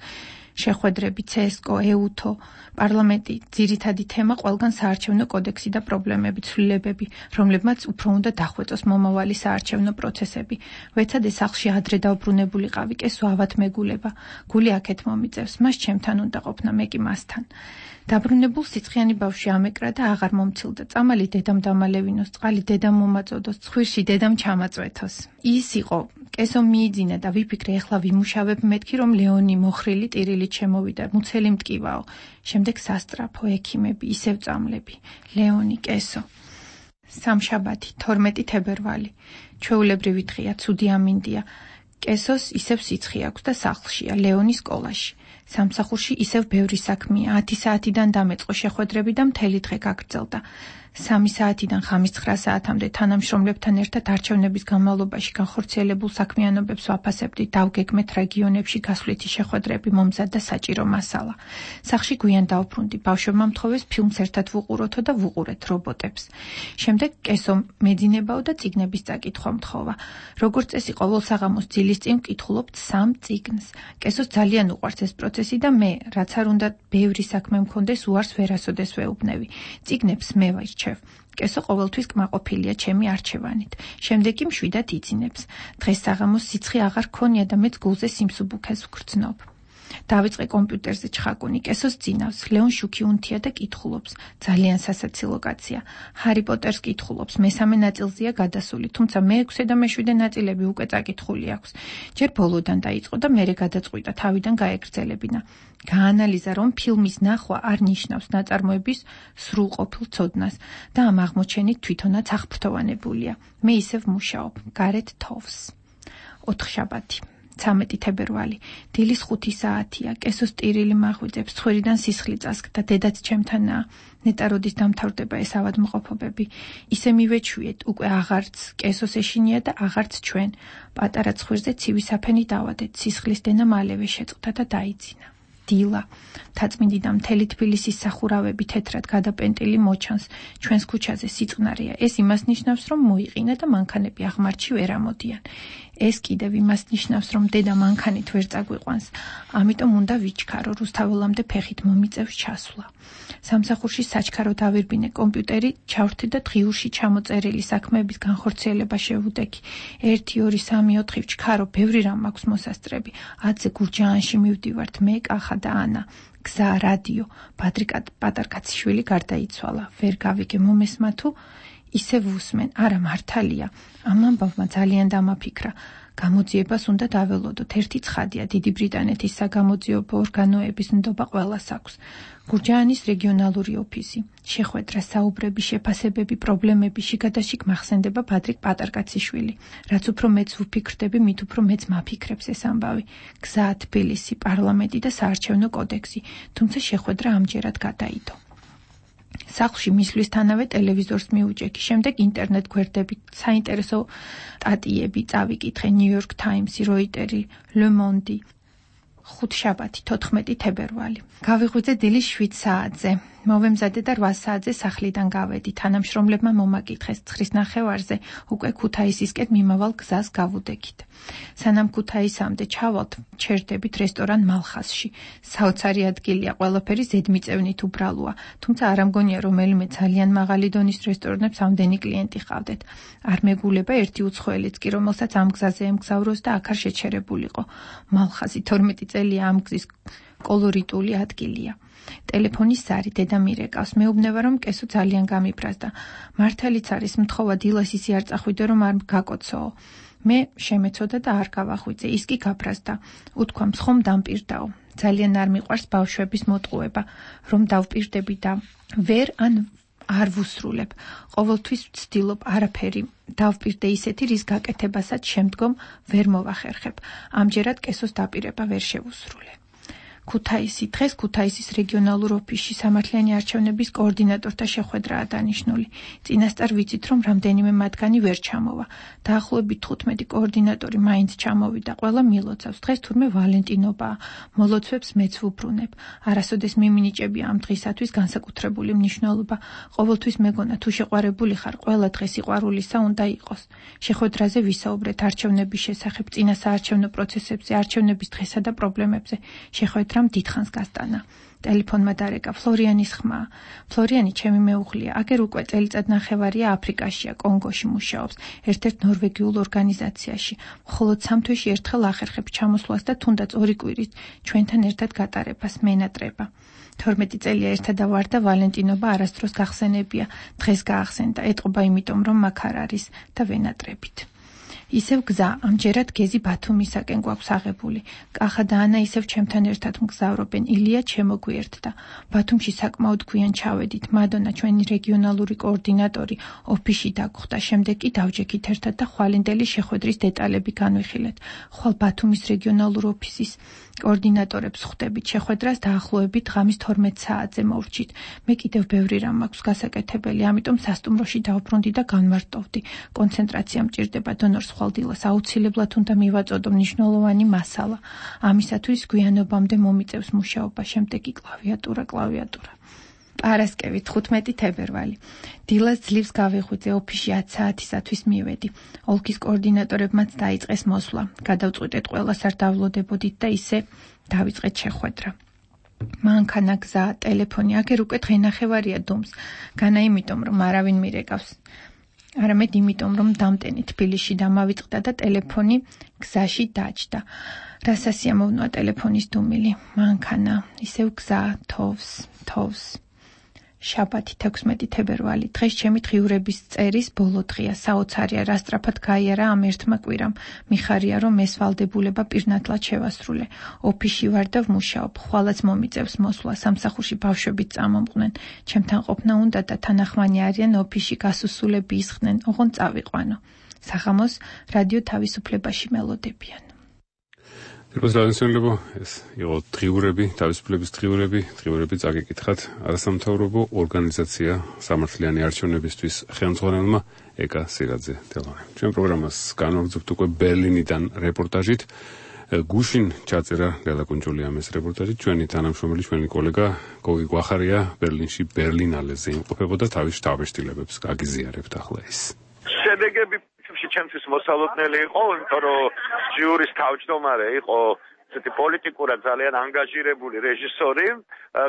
შეხვედრები, ცესკო, ეუთო, პარლამენტი, ძირითადი თემა ყველგან საარჩევნო კოდექსი და პრობლემები, ცვლილებები, რომლებმაც უფრო უნდა დახვეწოს მომავალი საარჩევნო პროცესები. ვეცადე სახლში ადრე დავბრუნებულიყავი, კესო ავად მეგულება. გული აქეთ მომიწევს, მას ჩემთან უნდა ყოფნა, მე კი მასთან. დაბრუნებულ სიცხიანი ბავშვი ამეკრა და აღარ მომცილდა. წამალი დედამ დამალევინოს, წყალი დედამ მომაწოდოს, ცხვირში დედამ ჩამაწვეთოს. ის იყო, კესო მიიძინა და ვიფიქრე, ეხლა ვიმუშავებ მეთქი, რომ ლეონი მოხრილი ტირილით შემოვიდა, მუცელი მტკივაო. შემდეგ სასტრაფო, ექიმები, ისევ წამლები. ლეონი, კესო. სამშაბათი, თორმეტი თებერვალი. ჩვეულებრივი დღეა, ცუდი ამინდია. კესოს ისევ სიცხე აქვს და სახლშია, ლეონი სკოლაში. სამსახურში ისევ ბევრი საქმეა. ათი საათიდან დამეწყო შეხვედრები და მთელი დღე გაგრძელდა. სამი საათიდან ხამის ცხრა საათამდე თანამშრომლებთან ერთად არჩევნების განმავლობაში განხორციელებულ საქმიანობებს ვაფასებდი. დავგეგმეთ რეგიონებში გასვლითი შეხვედრები, მომზადდა საჭირო მასალა. სახლში გვიან დავბრუნდი. ბავშვებმა მთხოვეს ფილმს ერთად ვუყუროთო და ვუყურეთ რობოტებს. შემდეგ კესო მეძინებაო და წიგნების წაკითხვა მთხოვა. როგორც წესი, ყოველ საღამოს ძილის წინ ვკითხულობთ სამ წიგნს. კესოს ძალიან უყვარს ეს პროცესი და მე, რაც არ უნდა ბევრი საქმე მქონდეს, უარს ვერასოდეს ვეუბნევი. წიგნებს მე ვაირჩევ. კესო ყოველთვის კმაყოფილია ჩემი არჩევანით. შემდეგ კი მშვიდად იძინებს. დღეს საღამოს სიცხე აღარ ქონია და მეც გულზე სიმსუბუქეს ვგრძნობ. დავიწყე კომპიუტერზე ჩხაკუნი, კესოს წინავს, ლეონ შუქი უნთია და კითხულობს. ძალიან სასაცილო კაცია. ჰარი პოტერს კითხულობს, მესამე ნაწილზეა გადასული, თუმცა მეექვსე და მეშვიდე ნაწილები უკვე წაკითხული აქვს. ჯერ ბოლოდან დაიწყო და მერე გადაწყვიტა თავიდან გაეგრძელებინა. გაანალიზა, რომ ფილმის ნახვა არ ნიშნავს ნაწარმოების სრულყოფილ ცოდნას და ამ აღმოჩენით თვითონაც აღფრთოვანებულია. მე ისევ მუშაობ, გარეთ თოვს. ოთხშაბათი. ცამეტი თებერვალი. დილის ხუთი საათია. კესოს ტირილი მახვიძებს, ცხვირიდან სისხლი წასკდა, დედაც ჩემთანაა. ნეტა როდის დამთავრდება ეს ავადმყოფობები. ისე მივეჩვიეთ, უკვე აღარც კესოს ეშინია და აღარც ჩვენ. პატარა ცხვირზე ცივი საფენი დავადეთ, სისხლის დენა მალევე შეწყდა და დაიძინა. დილა. თაწმინდიდან მთელი თბილისის სახურავები თეთრად გადაპენტილი მოჩანს. ჩვენს ქუჩაზე სიწყნარია. ეს იმას ნიშნავს, რომ მოიყინა და მანქანები აღმართში ვერ ამოდიან. ეს კიდევ იმას ნიშნავს, რომ დედა მანქანით ვერ წაგვიყვანს. ამიტომ უნდა ვიჩქარო, რუსთაველამდე ფეხით მომიწევს ჩასვლა. სამსახურში საჩქაროდ ავირბინე კომპიუტერი, ჩავრთე და დღიურში ჩამოწერილი საქმეების განხორციელება შევუდექი. ერთი, ორი, სამი, ოთხი ვჩქარო, ბევრი რამ აქვს მოსასწრები. ათზე გურჯაანში მივდივართ მე, კახა და ანა. გზა, რადიო, პატრიკ პატარკაციშვილი გარდაიცვალა. ვერ გავიგე მომესმა თუ ისე ვუსმენ, არა მართალია. ამ ამბავმა ძალიან დამაფიქრა. გამოძიებას უნდა დაველოდოთ. ერთი ცხადია, დიდი ბრიტანეთის საგამოძიებო ორგანოების ნდობა ყველას აქვს. გურჯაანის რეგიონალური ოფისი. შეხვედრა, საუბრები, შეფასებები, პრობლემები, შიგადაშიგ მახსენდება პატრიკ პატარკაციშვილი. რაც უფრო მეც ვფიქრდები, მით უფრო მეც მაფიქრებს ეს ამბავი. გზა, თბილისი, პარლამენტი და საარჩევნო კოდექსი. თუმცა შეხვედრა ამჯერად გადაიდო. სახლში მისვლისთანავე ტელევიზორს მიუჭექი, შემდეგ ინტერნეტ გვერდებით საინტერესო სტატიები წავიკითხე, New York Times-ი, Reuters-ი, Le Monde-ი. ხუთშაბათი, თოთხმეტი თებერვალი. გავიღვიძე დილის შვიდ საათზე. მოვემზადე და რვა საათზე სახლიდან გავედი. თანამშრომლებმა მომაკითხეს ცხრის ნახევარზე უკვე ქუთაისისკენ მიმავალ გზას გავუდექით. სანამ ქუთაისამდე ჩავალთ, ჩერდებით რესტორან მალხასში. საოცარი ადგილია, ყველაფერი ზედმიწევნით უბრალოა, თუმცა არ ამგონია რომელიმე ძალიან მაღალი დონის რესტორნებს ამდენი კლიენტი ყავდეთ. არ მეგულება ერთი უცხოელიც კი, რომელსაც ამ გზაზე ემგზავროს და აქ არ შეჩერებულიყო. მალხაზი თორმეტი წელია ამ გზის კოლორიტული ადგილია. ტელეფონის ზარი დედა მირეკავს. მეუბნება, რომ კესო ძალიან გამიბრაზდა. მართალიც არის, მთხოვა დილას ისე არ წახვიდე, რომ არ გაკოცოო. მე შემეცოდა და არ გავახვიძე. ის კი გაბრაზდა. უთქვა, მსხომ დამპირდაო. ძალიან არ მიყვარს ბავშვების მოტყუება, რომ დავპირდები და ვერ ან არ ვუსრულებ. ყოველთვის ვცდილობ არაფერი დავპირდე ისეთი, რის გაკეთებასაც შემდგომ ვერ მოვახერხებ. ამჯერად კესოს დაპირება ვერ შევუსრულე. ქუთაისი. დღეს ქუთაისის რეგიონალურ ოფისში სამართლიანი არჩევნების კოორდინატორთა შეხვედრაა დანიშნული. წინასწარ ვიცით, რომ რამდენიმე მათგანი ვერ ჩამოვა. დაახლოებით თხუთმეტი კოორდინატორი მაინც ჩამოვიდა, ყველა მილოცავს. დღეს თურმე ვალენტინობაა. მოლოცვებს მეც ვუბრუნებ. არასოდეს მიმინიჭებია ამ დღისათვის განსაკუთრებული მნიშვნელობა. ყოველთვის მეგონა, თუ შეყვარებული ხარ, ყველა დღე სიყვარულისა უნდა იყოს. შეხვედრაზე ვისაუბრეთ არჩევნების შესახებ, წინა საარჩევნო პროცესებზე, არჩევნების დღესა და პრობლემებზე. შეხვედრა დიდხანს გასტანა. ტელეფონმა დარეკა ფლორიანის ხმა. ფლორიანი ჩემი მეუღლეა. აგერ უკვე წელიწად ნახევარია აფრიკაშია, კონგოში მუშაობს, ერთ-ერთ ნორვეგიულ ორგანიზაციაში. მხოლოდ სამ თვეში ერთხელ ახერხებს ჩამოსვლას და თუნდაც ორი კვირის ჩვენთან ერთად გატარებას მენატრება. თორმეტი წელია ერთად ვარ და ვალენტინობა არასდროს გახსენებია. დღეს გაახსენდა. ეტყობა იმიტომ, რომ მაგ არ არის და ვენატრებით. ისევ გზა, ამჯერად გეზი ბათუმისაკენ გვაქვს აღებული. კახა და ანა ისევ ჩემთან ერთად მგზავრობენ. ილია ჩემოგვიერთდა. ბათუმში საკმაოდ გვიან ჩავედით. მადონა, ჩვენი რეგიონალური კოორდინატორი, ოფისში დაგხვდა. შემდეგ კი დავჯექით ერთად და ხვალინდელი შეხვედრის დეტალები განვიხილეთ. ხვალ ბათუმის რეგიონალურ ოფისის კოორდინატორებს ხვდებით. შეხვედრას დაახლოებით ღამის თორმეტ საათზე მოვრჩით. მე კიდევ ბევრი რამ მაქვს გასაკეთებელი, ამიტომ სასტუმროში დავბრუნდი და განმარტოვდი. კონცენტრაცია მჭირდება დონორს ხვალ დილას აუცილებლად უნდა მივაწოდო მნიშვნელოვანი მასალა. ამისათვის გვიანობამდე მომიწევს მუშაობა, შემდეგ კი კლავიატურა, კლავიატურა. პარასკევი, თხუთმეტი თებერვალი. დილას ძლივს გავიღვიძე, ოფისში ათი საათისათვის მივედი. ოლქის კოორდინატორებმაც დაიწყეს მოსვლა. გადავწყვიტეთ ყველას არ დავლოდებოდით და ისე დავიწყეთ შეხვედრა. მანქანა, გზა, ტელეფონი, აგერ უკვე დღენახევარია დუმს. განა იმიტომ, რომ არავინ მირეკავს. არამედ იმიტომ, რომ დამტენი თბილისში დამავიწყდა და ტელეფონი გზაში დაჯდა. რას ასიამოვნოა ტელეფონის დუმილი? მანქანა, ისევ გზა, თოვს, თოვს. შაბათი თექვსმეტი თებერვალი. დღეს ჩემი დღიურების წერის ბოლო დღეა. საოცარია, რა სწრაფად გაიარა ამ ერთმა კვირამ. მიხარია, რომ ეს ვალდებულება პირნათლად შევასრულე. ოფისში ვარ და ვმუშაობ. ხვალაც მომიწევს მოსვლა. სამსახურში ბავშვებიც წამომყვნენ. ჩემთან ყოფნა უნდა და თანახმანი არიან ოფისში გასუსულები ისხდნენ. ოღონდ წავიყვანო. სახამოს რადიო თავისუფლებაში მელოდებიან. Პირველსაწყისებლო ეს იყო დღიურები, თავისუფლების დღიურები, დღიურები წაგეკითხათ არასამთავრობო ორგანიზაცია სამართლიანი არჩევნებისთვის ხელმძღვანელმა ეკა სირაძე თელონემ. ჩვენ პროგრამას განვაგრძობთ უკვე ბერლინიდან რეპორტაჟით. გუშინ ჩაწერა ლელა კუნჯულიამ ეს რეპორტაჟი, ჩვენი თანამშრომელი, ჩვენი კოლეგა გოგი გვახარია ბერლინში ბერლინალეზე იმყოფებოდა, თავის შტაბ-შტილებებს გაგიზიარებთ ახლა ის. შედეგები ჩემთვის მოსალოდნელი იყო, იმიტომ რომ ჟიურის თავმჯდომარე იყო ესეთი პოლიტიკურად ძალიან ანგაჟირებული რეჟისორი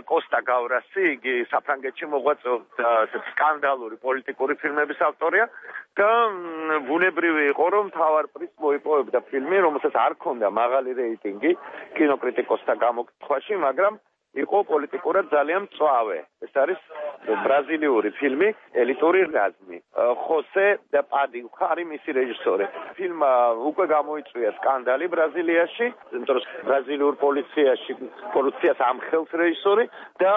კოსტა გავრასი, იგი საფრანგეთში მოღვაწეობდა ესეთი სკანდალური პოლიტიკური ფილმების ავტორია და ბუნებრივი იყო, რომ მთავარ პრიზს მოიპოვებდა ფილმი, რომელსაც არ ჰქონდა მაღალი რეიტინგი კინოკრიტიკოსთა გამოკითხვაში, მაგრამ იყო პოლიტიკურად ძალიან მწვავე. ეს არის ბრაზილიური ფილმი ელიტური რაზმი. ხოსე და პადი ხარი მისი რეჟისორი. ფილმმა უკვე გამოიწვია სკანდალი ბრაზილიაში, იმიტომ რომ ბრაზილიურ პოლიციაში კორუფციას ამხელს რეჟისორი და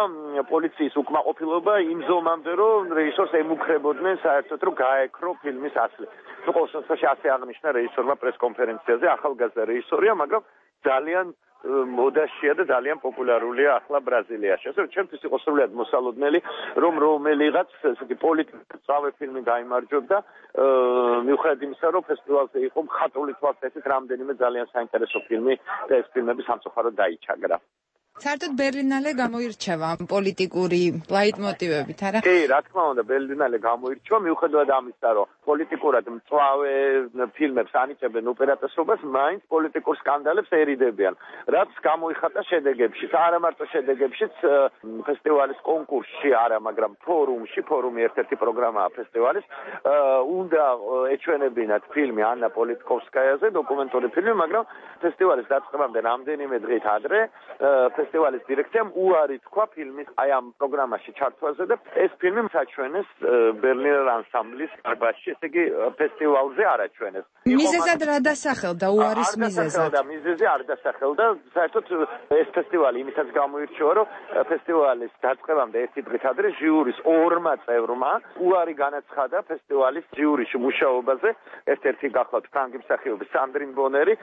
პოლიციის უკმაყოფილება იმ ზომამდე, რომ რეჟისორს ემუქრებოდნენ საერთოდ რომ გაეკრო ფილმის ასლი. ნუ ყოველ შემთხვევაში ასე აღნიშნა რეჟისორმა პრეს-კონფერენციაზე, ახალგაზრდა რეჟისორია, მაგრამ ძალიან მოდაშია და ძალიან პოპულარულია ახლა ბრაზილიაში. ასე რომ ჩემთვის იყო სრულიად მოსალოდნელი, რომ რომელიღაც ესეთი პოლიტიკური წავე ფილმი გაიმარჯვებდა, მიუხედავად იმისა, რომ ფესტივალზე იყო მხატვრული თვალსაზრისით რამდენიმე ძალიან საინტერესო ფილმი და ეს ფილმები სამწუხაროდ დაიჩაგრა. საერთოდ ბერლინალე გამოირჩევა პოლიტიკური ლაიტმოტივებით, არა? კი, რა თქმა უნდა, ბერლინალე გამოირჩევა, მიუხედავად ამისა, რომ პოლიტიკურად მწვავე ფილმებს ანიჭებენ უპირატესობას, მაინც პოლიტიკურ სკანდალებს ერიდებიან. რაც გამოიხატა შედეგებშიც, არა მარტო შედეგებშიც, ფესტივალის კონკურსში არა, მაგრამ ფორუმში, ფორუმი ერთ-ერთი პროგრამაა ფესტივალის, უნდა ეჩვენებინათ ფილმი ანა პოლიტკოვსკაიაზე, დოკუმენტური ფილმი, მაგრამ ფესტივალის დაწყებამდე რამდენიმე დღით ადრე ფესტივალის დირექციამ უარი თქვა ფილმის აი ამ პროგრამაში ჩართვაზე და ეს ფილმი საჩვენეს ბერლინერ ანსამბლის დარბაზში, ესე იგი ფესტივალზე არ აჩვენეს. მიზეზად რა დასახელდა უარის მიზეზად? და მიზეზი არ დასახელდა, საერთოდ ეს ფესტივალი იმითაც გამოირჩევა, რომ ფესტივალის დაწყებამდე ერთი დღით ადრე ჟიურის ორმა წევრმა უარი განაცხადა ფესტივალის ჟიურიში მუშაობაზე, ერთ-ერთი გახლავთ ფრანგი მსახიობი სანდრინ ბონერი,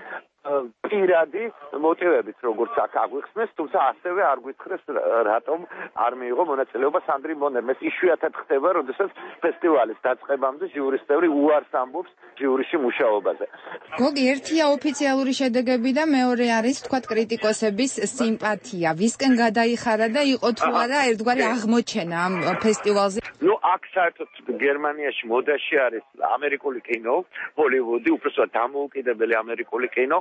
პირადი მოტივებით როგორც აქ აგვიხსნეს, თუმცა ასევე არ გვითხრეს რატომ არ მიიღო მონაწილეობა სანდრინ ბონერმა. ეს იშვიათად ხდება, როდესაც ფესტივალის დაწყებამდე ჟიურის წევრი უარს ამბობს ჟიურიში მუშაობაზე. გოგი, ერთია ოფიციალური შედეგები და მეორე არის თქვათ კრიტიკოსების სიმპათია. ვისკენ გადაიხარა და იყო თუ არა ერთგვარი აღმოჩენა ამ ფესტივალზე? ნუ აქ საერთოდ გერმანიაში მოდაში არის ამერიკული კინო, ჰოლივუდი, უბრალოდ დამოუკიდებელი ამერიკული კინო.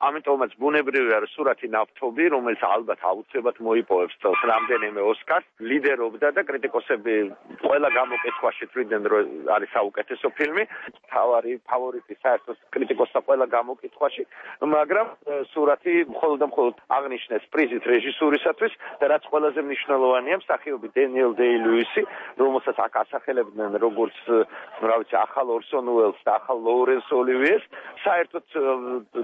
ამიტომაც ბუნებრივია, რომ სურათი ნავთობი, რომელიც ალბათ აუცილებლად მოიპოვებს წელს რამდენიმე ოსკარს, ლიდერობდა და კრიტიკოსები ყველა გამოკითხვაში თვლიდნენ, რომ არის საუკეთესო ფილმი, თავარი ფავორიტი საერთოდ კრიტიკოსთა ყველა გამოკითხვაში, მაგრამ სურათი მხოლოდ და მხოლოდ აღნიშნეს პრიზით რეჟისურისათვის და რაც ყველაზე მნიშვნელოვანია, მსახიობი დენიელ დეი-ლუისი, რომელსაც აქ ასახელებდნენ როგორც, რა ვიცი, ახალ ორსონ უელს და ახალ ლოურენს ოლივიეს, საერთოდ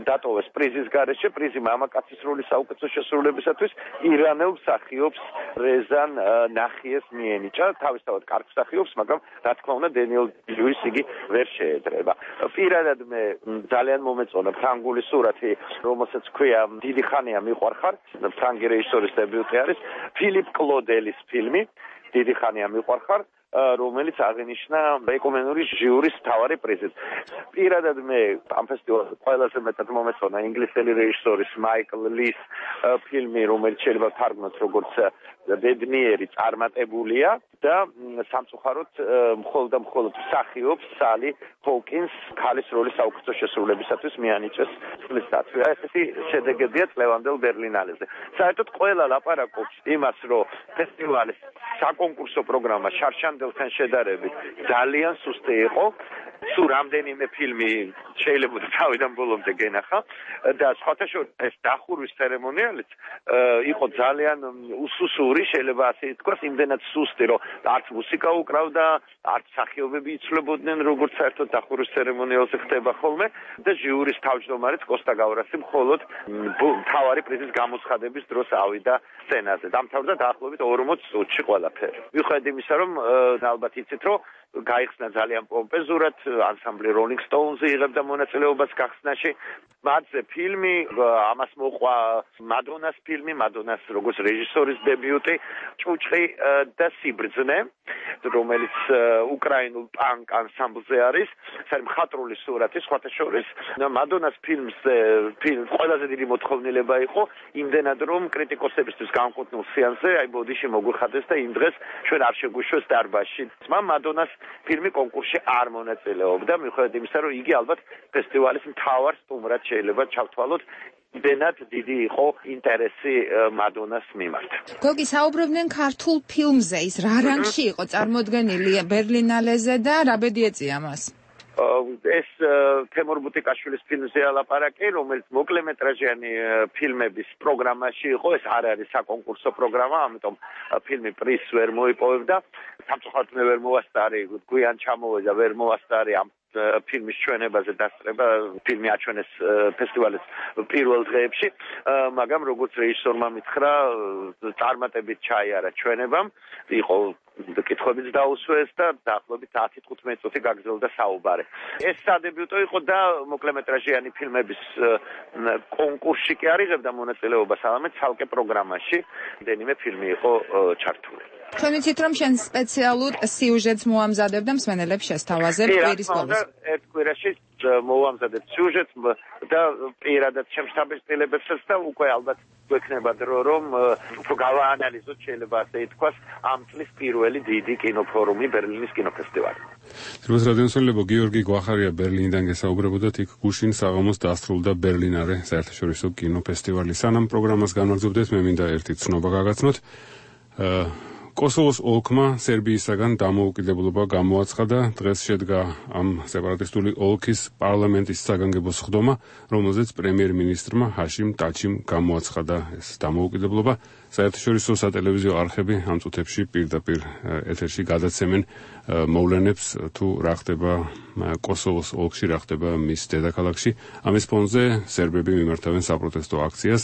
დატოვეს პრიზის გარეშე, პრიზი მამაკაცის როლის საუკეთესო შესრულებისათვის ირანელ მსახიობს რეზან ნახიეს მიენიჭა, თავისთავად კარგ მსახიობს, მაგრამ რა თქმა უნდა დენიელ ლუისი იგი ვერ შეედრება. პირადად მე ძალიან მომეწონა ფრანგული სურათი, რომელსაც ქვია დიდი ხანია მიყვარხარ, ფრანგი რეჟისორის დებიუტი არის ფილიპ კლოდელის ფილმი, დიდი ხანია მიყვარხარ, რომელიც აღინიშნა ეკონომიკური ჟიურის მთავარი პრიზით. პირადად მე ამ ფესტივალზე ყველაზე მეტად მომეწონა ინგლისელი რეჟისორის მაიკლ ლის ფილმი, რომელიც შეიძლება თარგმნოთ როგორც ბედნიერი წარმატებულია და სამწუხაროდ მხოლოდ და მხოლოდ მსახიობს სალი ჰოუკინს ქალის როლის საუკეთესო შესრულებისათვის მიანიჭეს წლის დათვი. ესეთი შედეგებია წლევანდელ ბერლინალეზე. საერთოდ ყველა ლაპარაკობს იმას, რომ ფესტივალის საკონკურსო პროგრამა შარშანდელთან შედარებით ძალიან სუსტი იყო. სულ რამდენიმე ფილმი შეიძლება თავიდან ბოლომდე გენახა და სხვათა შორის ეს დახურვის ცერემონიალიც იყო ძალიან უსუსური, შეიძლება ასე ითქვას, იმდენად სუსტი, რომ არც მუსიკა უკრავდა, არც მსახიობები იცვლებოდნენ, როგორც საერთოდ დახურვის ცერემონიალზე ხდება ხოლმე და ჟიურის თავმჯდომარეც კოსტა გავრასი მხოლოდ მთავარი პრიზის გამოცხადების დროს ავიდა სცენაზე. დამთავრდა დაახლოებით ორმოც წუთში ყველაფერი. მიუხედავად იმისა, რომ ალბათ იცით, რომ გაიხსნა ძალიან პომპეზურად, ანსამბლი Rolling Stones იღებდა მონაწილეობას გახსნაში. მათზე ფილმი, ამას მოყვა მადონას ფილმი, მადონას როგორც რეჟისორის დებიუტი, ჭუჭყი და სიბრძნე, რომელიც უკრაინულ პანკ ანსამბლზე არის. ეს არის მხატვრული სურათი, სხვათა შორის. მადონას ფილმზე ფილმ ყველაზე დიდი მოთხოვნილება იყო, იმდენად რომ კრიტიკოსებისთვის განკუთვნილ სეანსზე, აი ბოდიში მოგვიხადეს და იმ დღეს ჩვენ არ შეგვიშვეს დარბაზში. მადონას ფილმი კონკურსში არ მონაწილეობდა, მიუხედავად იმისა, რომ იგი ალბათ ფესტივალის მთავარ სტუმრად შეიძლება ჩავთვალოთ. იმდენად დიდი იყო ინტერესი მადონას მიმართ. გოგი, საუბრობდნენ ქართულ ფილმზე, ის რა რანგში იყო წარმოდგენილი ბერლინალეზე და რა ბედი ეწია მას? ეს თემურ ბუტიკაშვილის ფილმზეა ლაპარაკი, რომელიც მოკლემეტრაჟიანი ფილმების პროგრამაში იყო. ეს არ არის საკონკურსო პროგრამა, ამიტომ ფილმი პრიზს ვერ მოიპოვებდა. სამწუხაროდ მე ვერ მოვასწარი, გვიან ჩამოვედა, ვერ მოვასწარი ამ ფილმის ჩვენებაზე დასწრება. ფილმი აჩვენეს ფესტივალის პირველ დღეებში, მაგრამ როგორც რეჟისორმა მითხრა, წარმატებით ჩაიარა ჩვენებამ, იყო კითხვებიც დაუსვეს და დაახლოებით ათი თხუთმეტი წუთი გაგრძელდა საუბარი. ეს სადებიუტო იყო და მოკლემეტრაჟიანი ფილმების კონკურსში კი არ იღებდა მონაწილეობას, არამედ ცალკე პროგრამაში რამდენიმე ფილმი იყო ჩართული. ჩვენ ვიცით, რომ შენ სპეციალურ სიუჟეტს მოამზადებდა მსმენელებს შესთავაზებ კვირის ბოლოს. ერთ კვირაში მოვამზადებ სიუჟეტს და პირადად შემშთაბეჭდილებებსაც და უკვე ალბათ გვექნება დრო, რომ უფრო გავაანალიზოთ, შეიძლება ასე ითქვას, ამ წლის პირველი დიდი კინოფორუმი ბერლინის კინოფესტივალი. დროს რადიოსმენელებო, გიორგი გვახარია ბერლინიდან გესაუბრებოდათ, იქ გუშინ საღამოს დასრულდა ბერლინარე საერთაშორისო კინოფესტივალი. სანამ პროგრამას განვაგრძობდეთ, მე მინდა ერთი ცნობა გაგაცნოთ. კოსოვოს ოლქმა სერბიისაგან დამოუკიდებლობა გამოაცხადა. დღეს შედგა ამ სეპარატისტული ოლქის პარლამენტის საგანგებო სხდომა, რომელზეც პრემიერ-მინისტრმა ჰაშიმ ტაჩიმ გამოაცხადა ეს დამოუკიდებლობა. საერთაშორისო სატელევიზიო არხები ამ წუთებში პირდაპირ ეთერში გადაცემენ მოვლენებს, თუ რა ხდება კოსოვოს ოლქში, რა ხდება მის დედაქალაქში. ამის ფონზე სერბები მიმართავენ საპროტესტო აქციას.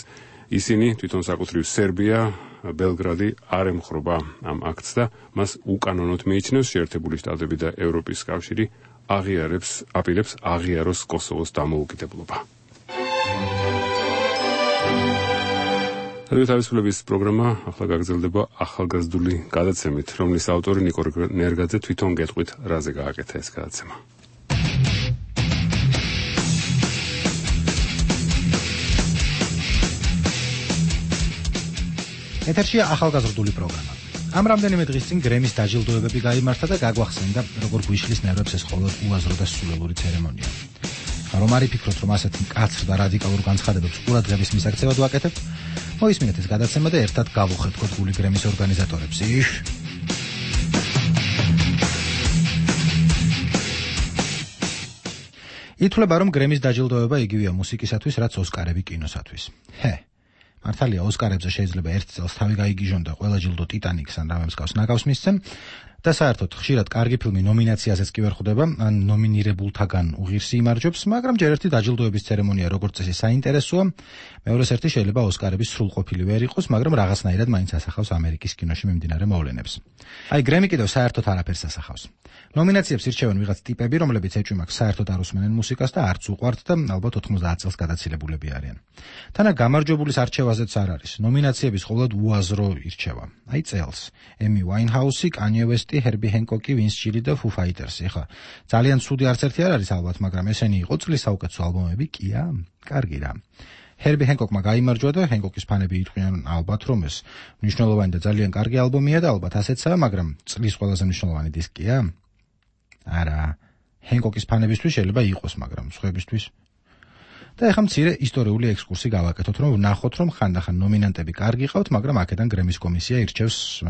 ისინი თვითონ საკუთრივ სერბია, ბელგრადი არ ემხრობა ამ აქტს და მას უკანონოდ მიიჩნევს. შეერთებული შტატები და ევროპის კავშირი აღიარებს, აპირებს აღიაროს კოსოვოს დამოუკიდებლობა. რადიო თავისუფლების პროგრამა ახლა გაგრძელდება ახალგაზრდული გადაცემით, რომლის ავტორი ნიკო ნერგაძე თვითონ გეტყვით, რაზე გააკეთა ეს გადაცემა. ეთერშია ახალგაზრდული პროგრამა. ამ რამდენიმე დღის წინ გრემის დაჯილდოებები გაიმართა და გაგვახსენდა, როგორ გვიშლის ნერვებს ეს მხოლოდ უაზრო და სულელური ცერემონია. რომ არ იფიქროთ, რომ ასეთ მკაცრ და რადიკალურ განცხადებებს ყურადღების მისაქცევად ვაკეთებ, მოისმინეთ ეს გადაცემა და ერთად გავუხერხოთ გული გრემის ორგანიზატორებს. იშ! ითვლება, რომ გრემის დაჯილდოება იგივეა მუსიკისათვის, რაც ოსკარები კინოსათვის. ჰე! მართალია, ოსკარებზე შეიძლება ერთ წელს თავი გაიგიჟონ და ყველა ჯილდო ტიტანიკს ან რამე მსგავს ნაგავს მისცემ და საერთოდ ხშირად კარგი ფილმი ნომინაციაზეც კი ვერ ხვდება, ან ნომინირებულთაგან უღირსი იმარჯვებს, მაგრამ ჯერ ერთი დაჯილდოების ცერემონია როგორც წესი საინტერესოა, მეორეს ერთი შეიძლება ოსკარების სრულყოფილი ვერ იყოს, მაგრამ რაღაცნაირად მაინც ასახავს ამერიკის კინოში მიმდინარე მოვლენებს. აი, გრემი კიდევ საერთოდ არაფერს ასახავს. ნომინაციებს ირჩევენ ვიღაც ტიპები, რომლებიც ეჭვმაკ საერთოდ არ უსმენენ მუსიკას და არც უყვართ და ალბათ ოთხმოცდაათ წელს გადაცილებულები არიან. თანა გამარჯვებულის არჩევაზეც არ არის. ნომინაციების ყოველად უაზრო ირჩევა. აი წელს ემი ვაინჰაუსი, კანიე ვესტი, ჰერბი ჰენკოკი, ვინს ჩილი და ფუ ფაიტერსი. ეხლა ძალიან ცუდი არც ერთი არ არის ალბათ, მაგრამ ესენი იყო წლის საუკეთესო ალბომები, კია? კარგი რა. ჰერბი ჰენკოკმა გაიმარჯვა და ჰენკოკის ფანები იტყვიან ალბათ რომ ეს მნიშვნელოვანი და ძალიან კარგი ალბომია და ალბათ ასეცაა, მაგრამ წლის ყველაზე მნიშვნელოვანი დისკია? არა. ჰენკოკის ფანებისთვის შეიძლება იყოს, მაგრამ სხვებისთვის. და ეხლა მცირე ისტორიული ექსკურსი გავაკეთოთ, რომ ვნახოთ, რომ ხანდახან ნომინანტები კარგი ყავთ, მაგრამ აქედან გრემის კომისია ირჩევს,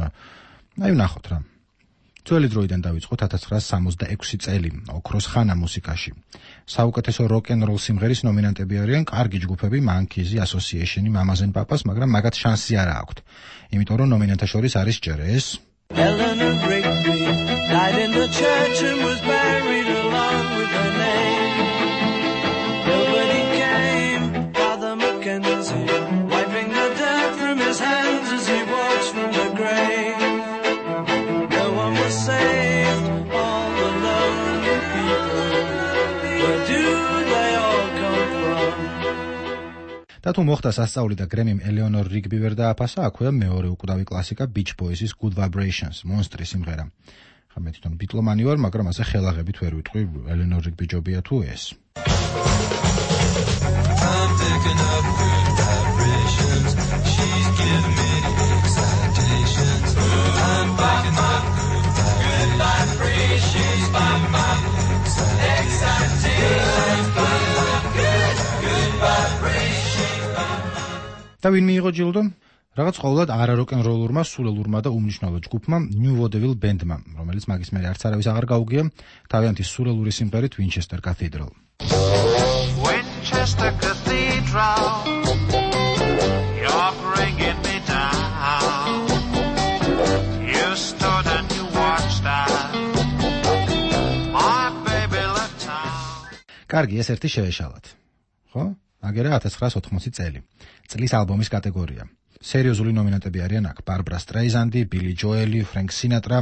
აი ვნახოთ რა. ძველი დროიდან დავიწყოთ ათას ცხრაასი სამოცდაექვსი წელი, ოქროს ხანა მუსიკაში. საუკეთესო როკ-ენ-როლ სიმღერის ნომინანტები არიან კარგი ჯგუფები, Monkeys, Association, Mamas and Papas, მაგრამ მაგათ შანსი არ აქვთ. იმიტომ რომ ნომინანტთა შორის არის ჯერ ეს Eleanor Rigby died in the church and was buried along with her name. Nobody came, Father Mackenzie, wiping the dirt from his hands as he walks from the grave. No one was saved, all the lonely people. Where do they all come from? და თუ მოხდა სასწაული და გრემიმ ელეონორ რიგბი ვერ დააფასა, აქვეა მეორე უკვდავი კლასიკა Beach Boys-ის Good Vibrations, მონსტრი სიმღერა. ხა მე თვითონ ბიტლომანი ვარ, მაგრამ ასე ხელაღებით ვერ ვიტყვი ელეონორ რიგბი ჯობია თუ ეს. I'm picking up good vibrations. She's giving me excitations. I'm picking up good vibrations. By my excitations. Good, good vibrations. და ვინ მიიღო ჯილდო? რაღაც ყოველად არა როკ-ენ-როლურმა, სულელურმა და უმნიშვნელო ჯგუფმა New Vaudeville Band-მა, რომელიც მაგის მერე არც არავის აღარ გაუგია, თავიანთი სულელური სიმღერით Winchester Cathedral. Winchester Cathedral, you're bringing me down. You stood and you watched that, my baby left town. კარგი, ეს ერთი შევეშალათ. ხო? აგერა ათას ცხრაასი ოთხმოცი წელი. წლის ალბომის კატეგორია. სერიოზული ნომინანტები არიან აქ ბარბრა სტრეიზანდი, ბილი ჯოელი, ფრენკ სინატრა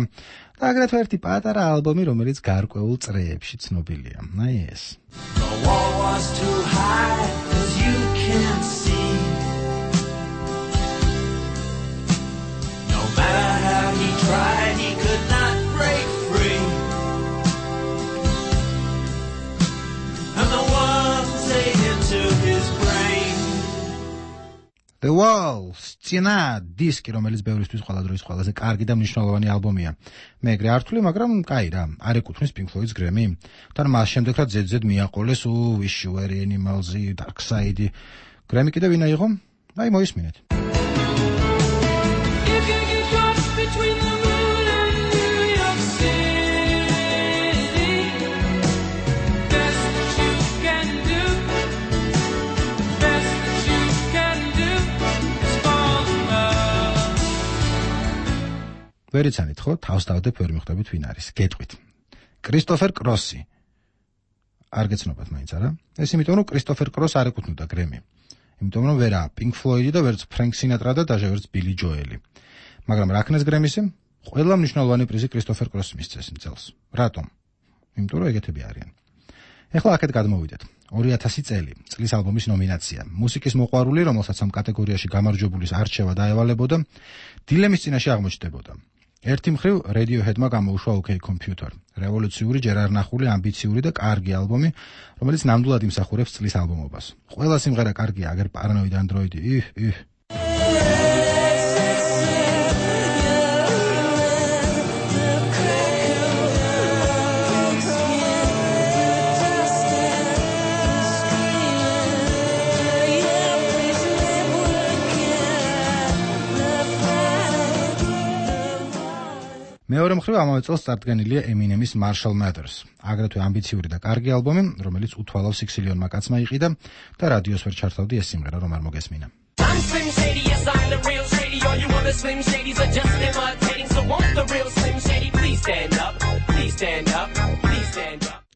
და აგრეთვე ერთი პატარა ალბომი, რომელიც გარკვეულ წრეებში ცნობილია. აი ეს. The wall was too high, 'cause you can't see. No matter how he tried, he could not break free. And the walls ate into his brain. The Wall, სცენა, დისკი, რომელიც ბევრისთვის ყველა დროის ყველაზე კარგი და მნიშვნელოვანი ალბომია. მე ეგრე არ ვთვლი, მაგრამ კაი რა, არ ეკუთვნის Pink Floyd-ს გრემი. თან მას შემდეგ რა ზედზედ მიაყოლეს Wish You Were Animals, Dark Side. გრემი კიდე ვინ აიღო? აი მოისმინეთ. ვერიცანით ხო, თავს დავდებ ვერ მიხვდებით ვინ არის. გეტყვით. კრისტოფერ კროსი. არ გეცნობათ მაინც არა? ეს იმიტომ რომ კრისტოფერ კროს არ ეკუთვნოდა გრემი. იმიტომ რომ ვერა Pink Floyd-ი და ვერც ფრენკ სინატრა და დაჟე ვერც ბილი ჯოელი. მაგრამ რა ქნეს გრემისი? ყველა მნიშვნელოვანი პრიზი კრისტოფერ კროსს მისცეს იმ წელს. რატომ? იმიტომ რომ ეგეთები არიან. ეხლა აქეთ გადმოვიდეთ. ორი ათასი წელი, წლის ალბომის ნომინაცია. მუსიკის მოყვარული, რომელსაც ამ კატეგორიაში გამარჯვებულის არჩევა დაევალებოდა, დილემის წინაშე აღმოჩნდებოდა. ერთი მხრივ Radiohead-მა გამოუშვა OK Computer, რევოლუციური, ჯერ არ ნახული, ამბიციური და კარგი ალბომი, რომელიც ნამდვილად იმსახურებს წლის ალბომობას. ყველა სიმღერა კარგია, აგერ Paranoid Android, იჰ, იჰ. მეორე მხრივ ამავე წელს წარდგენილია Eminem's Marshall Mathers, აგრეთვე ამბიციური და კარგი ალბომი, რომელიც უთვალავ სიქსილიონმა კაცმა იყიდა და რადიოს ვერ ჩართავდი ეს სიმღერა რომ არ მოგესმინა.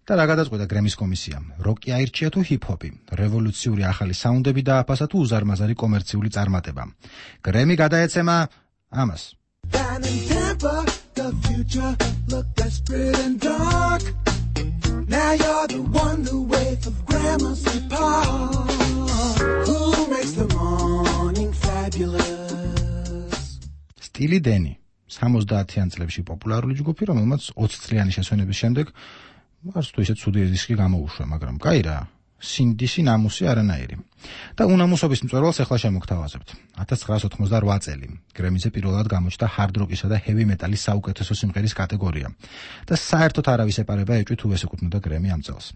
და რა გადაწყვეტა გრემის კომისიამ? როკი აირჩია თუ ჰიპ-ჰოპი? რევოლუციური ახალი საუნდები დააფასა თუ უზარმაზარი კომერციული წარმატება? გრემი გადაეცემა ამას. The future looked desperate and dark. Now you're the one who waits of Gramercy Park. Who makes the morning fabulous? სტილი დენი, სამოცდაათიან წლებში პოპულარული ჯგუფი, რომელმაც ოცი წლიანი შესვენების შემდეგ არც თუ ისე ცუდი დისკი გამოუშვა, მაგრამ კაი რა, სინდისი ნამუსი არანაირი. და უნამუსობის მწვერვალს ახლა შემოგთავაზებთ. ათას ცხრაას ოთხმოცდაოთხ წელი გრემიზე პირველად გამოჩნდა ჰარდ როკისა და ჰევი მეტალის საუკეთესო სიმღერის კატეგორია და საერთოდ არავის ეპარება ეჭვით თუ ეს ეკუთვნოდა გრემი ამ წელს.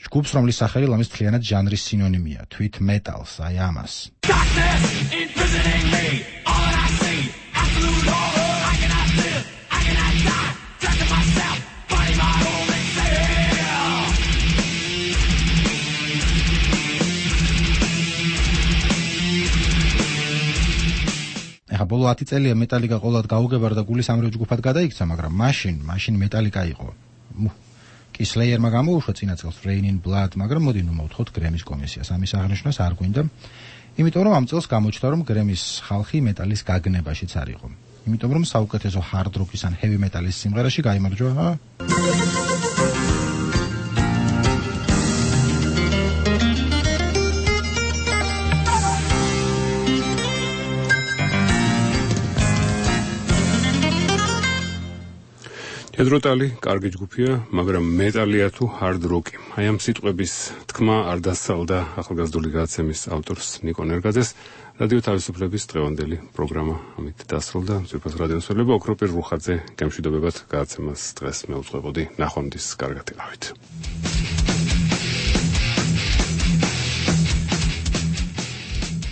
ჯგუფს, რომლის სახელი ლამის მთლიანად ჟანრის სინონიმია, თვით მეტალს, აი ამას. ეხა ბოლო ათი წელია მეტალიკა ყოველად გაუგებარდა გულის ამრევ ჯგუფად გადაიქცა, მაგრამ მაშინ, მაშინ მეტალიკა იყო. კი სლეიერმა გამოუშვა წინა წელს Rain in Blood, მაგრამ მოდი ნუ მოვთხოვთ გრემის კომისიას. ამის აღნიშვნას არ გვინდა. იმიტომ რომ ამ წელს გამოჩნდა რომ გრემის ხალხი მეტალის გაგნებაშიც არ იყო. იმიტომ რომ საუკეთესო hard rock-ის ან heavy metal-ის სიმღერაში გაიმარჯვა Headrotali, კარგი ჯგუფია, მაგრამ მეტალია თუ hard rock-ი. აი ამ სიტყვების თქმა არ დასწალდა ახალგაზრდული გადაცემის ავტორს ნიკო ნერგაძეს. რადიო თავისუფლების დღევანდელი პროგრამა ამით დასრულდა. ძვირფას რადიოსმენელობა, ოქროპირ რუხაძე, გემშვიდობებად გადაცემას დღეს მეუძღვებოდი. ნახვამდის კარგად იყავით.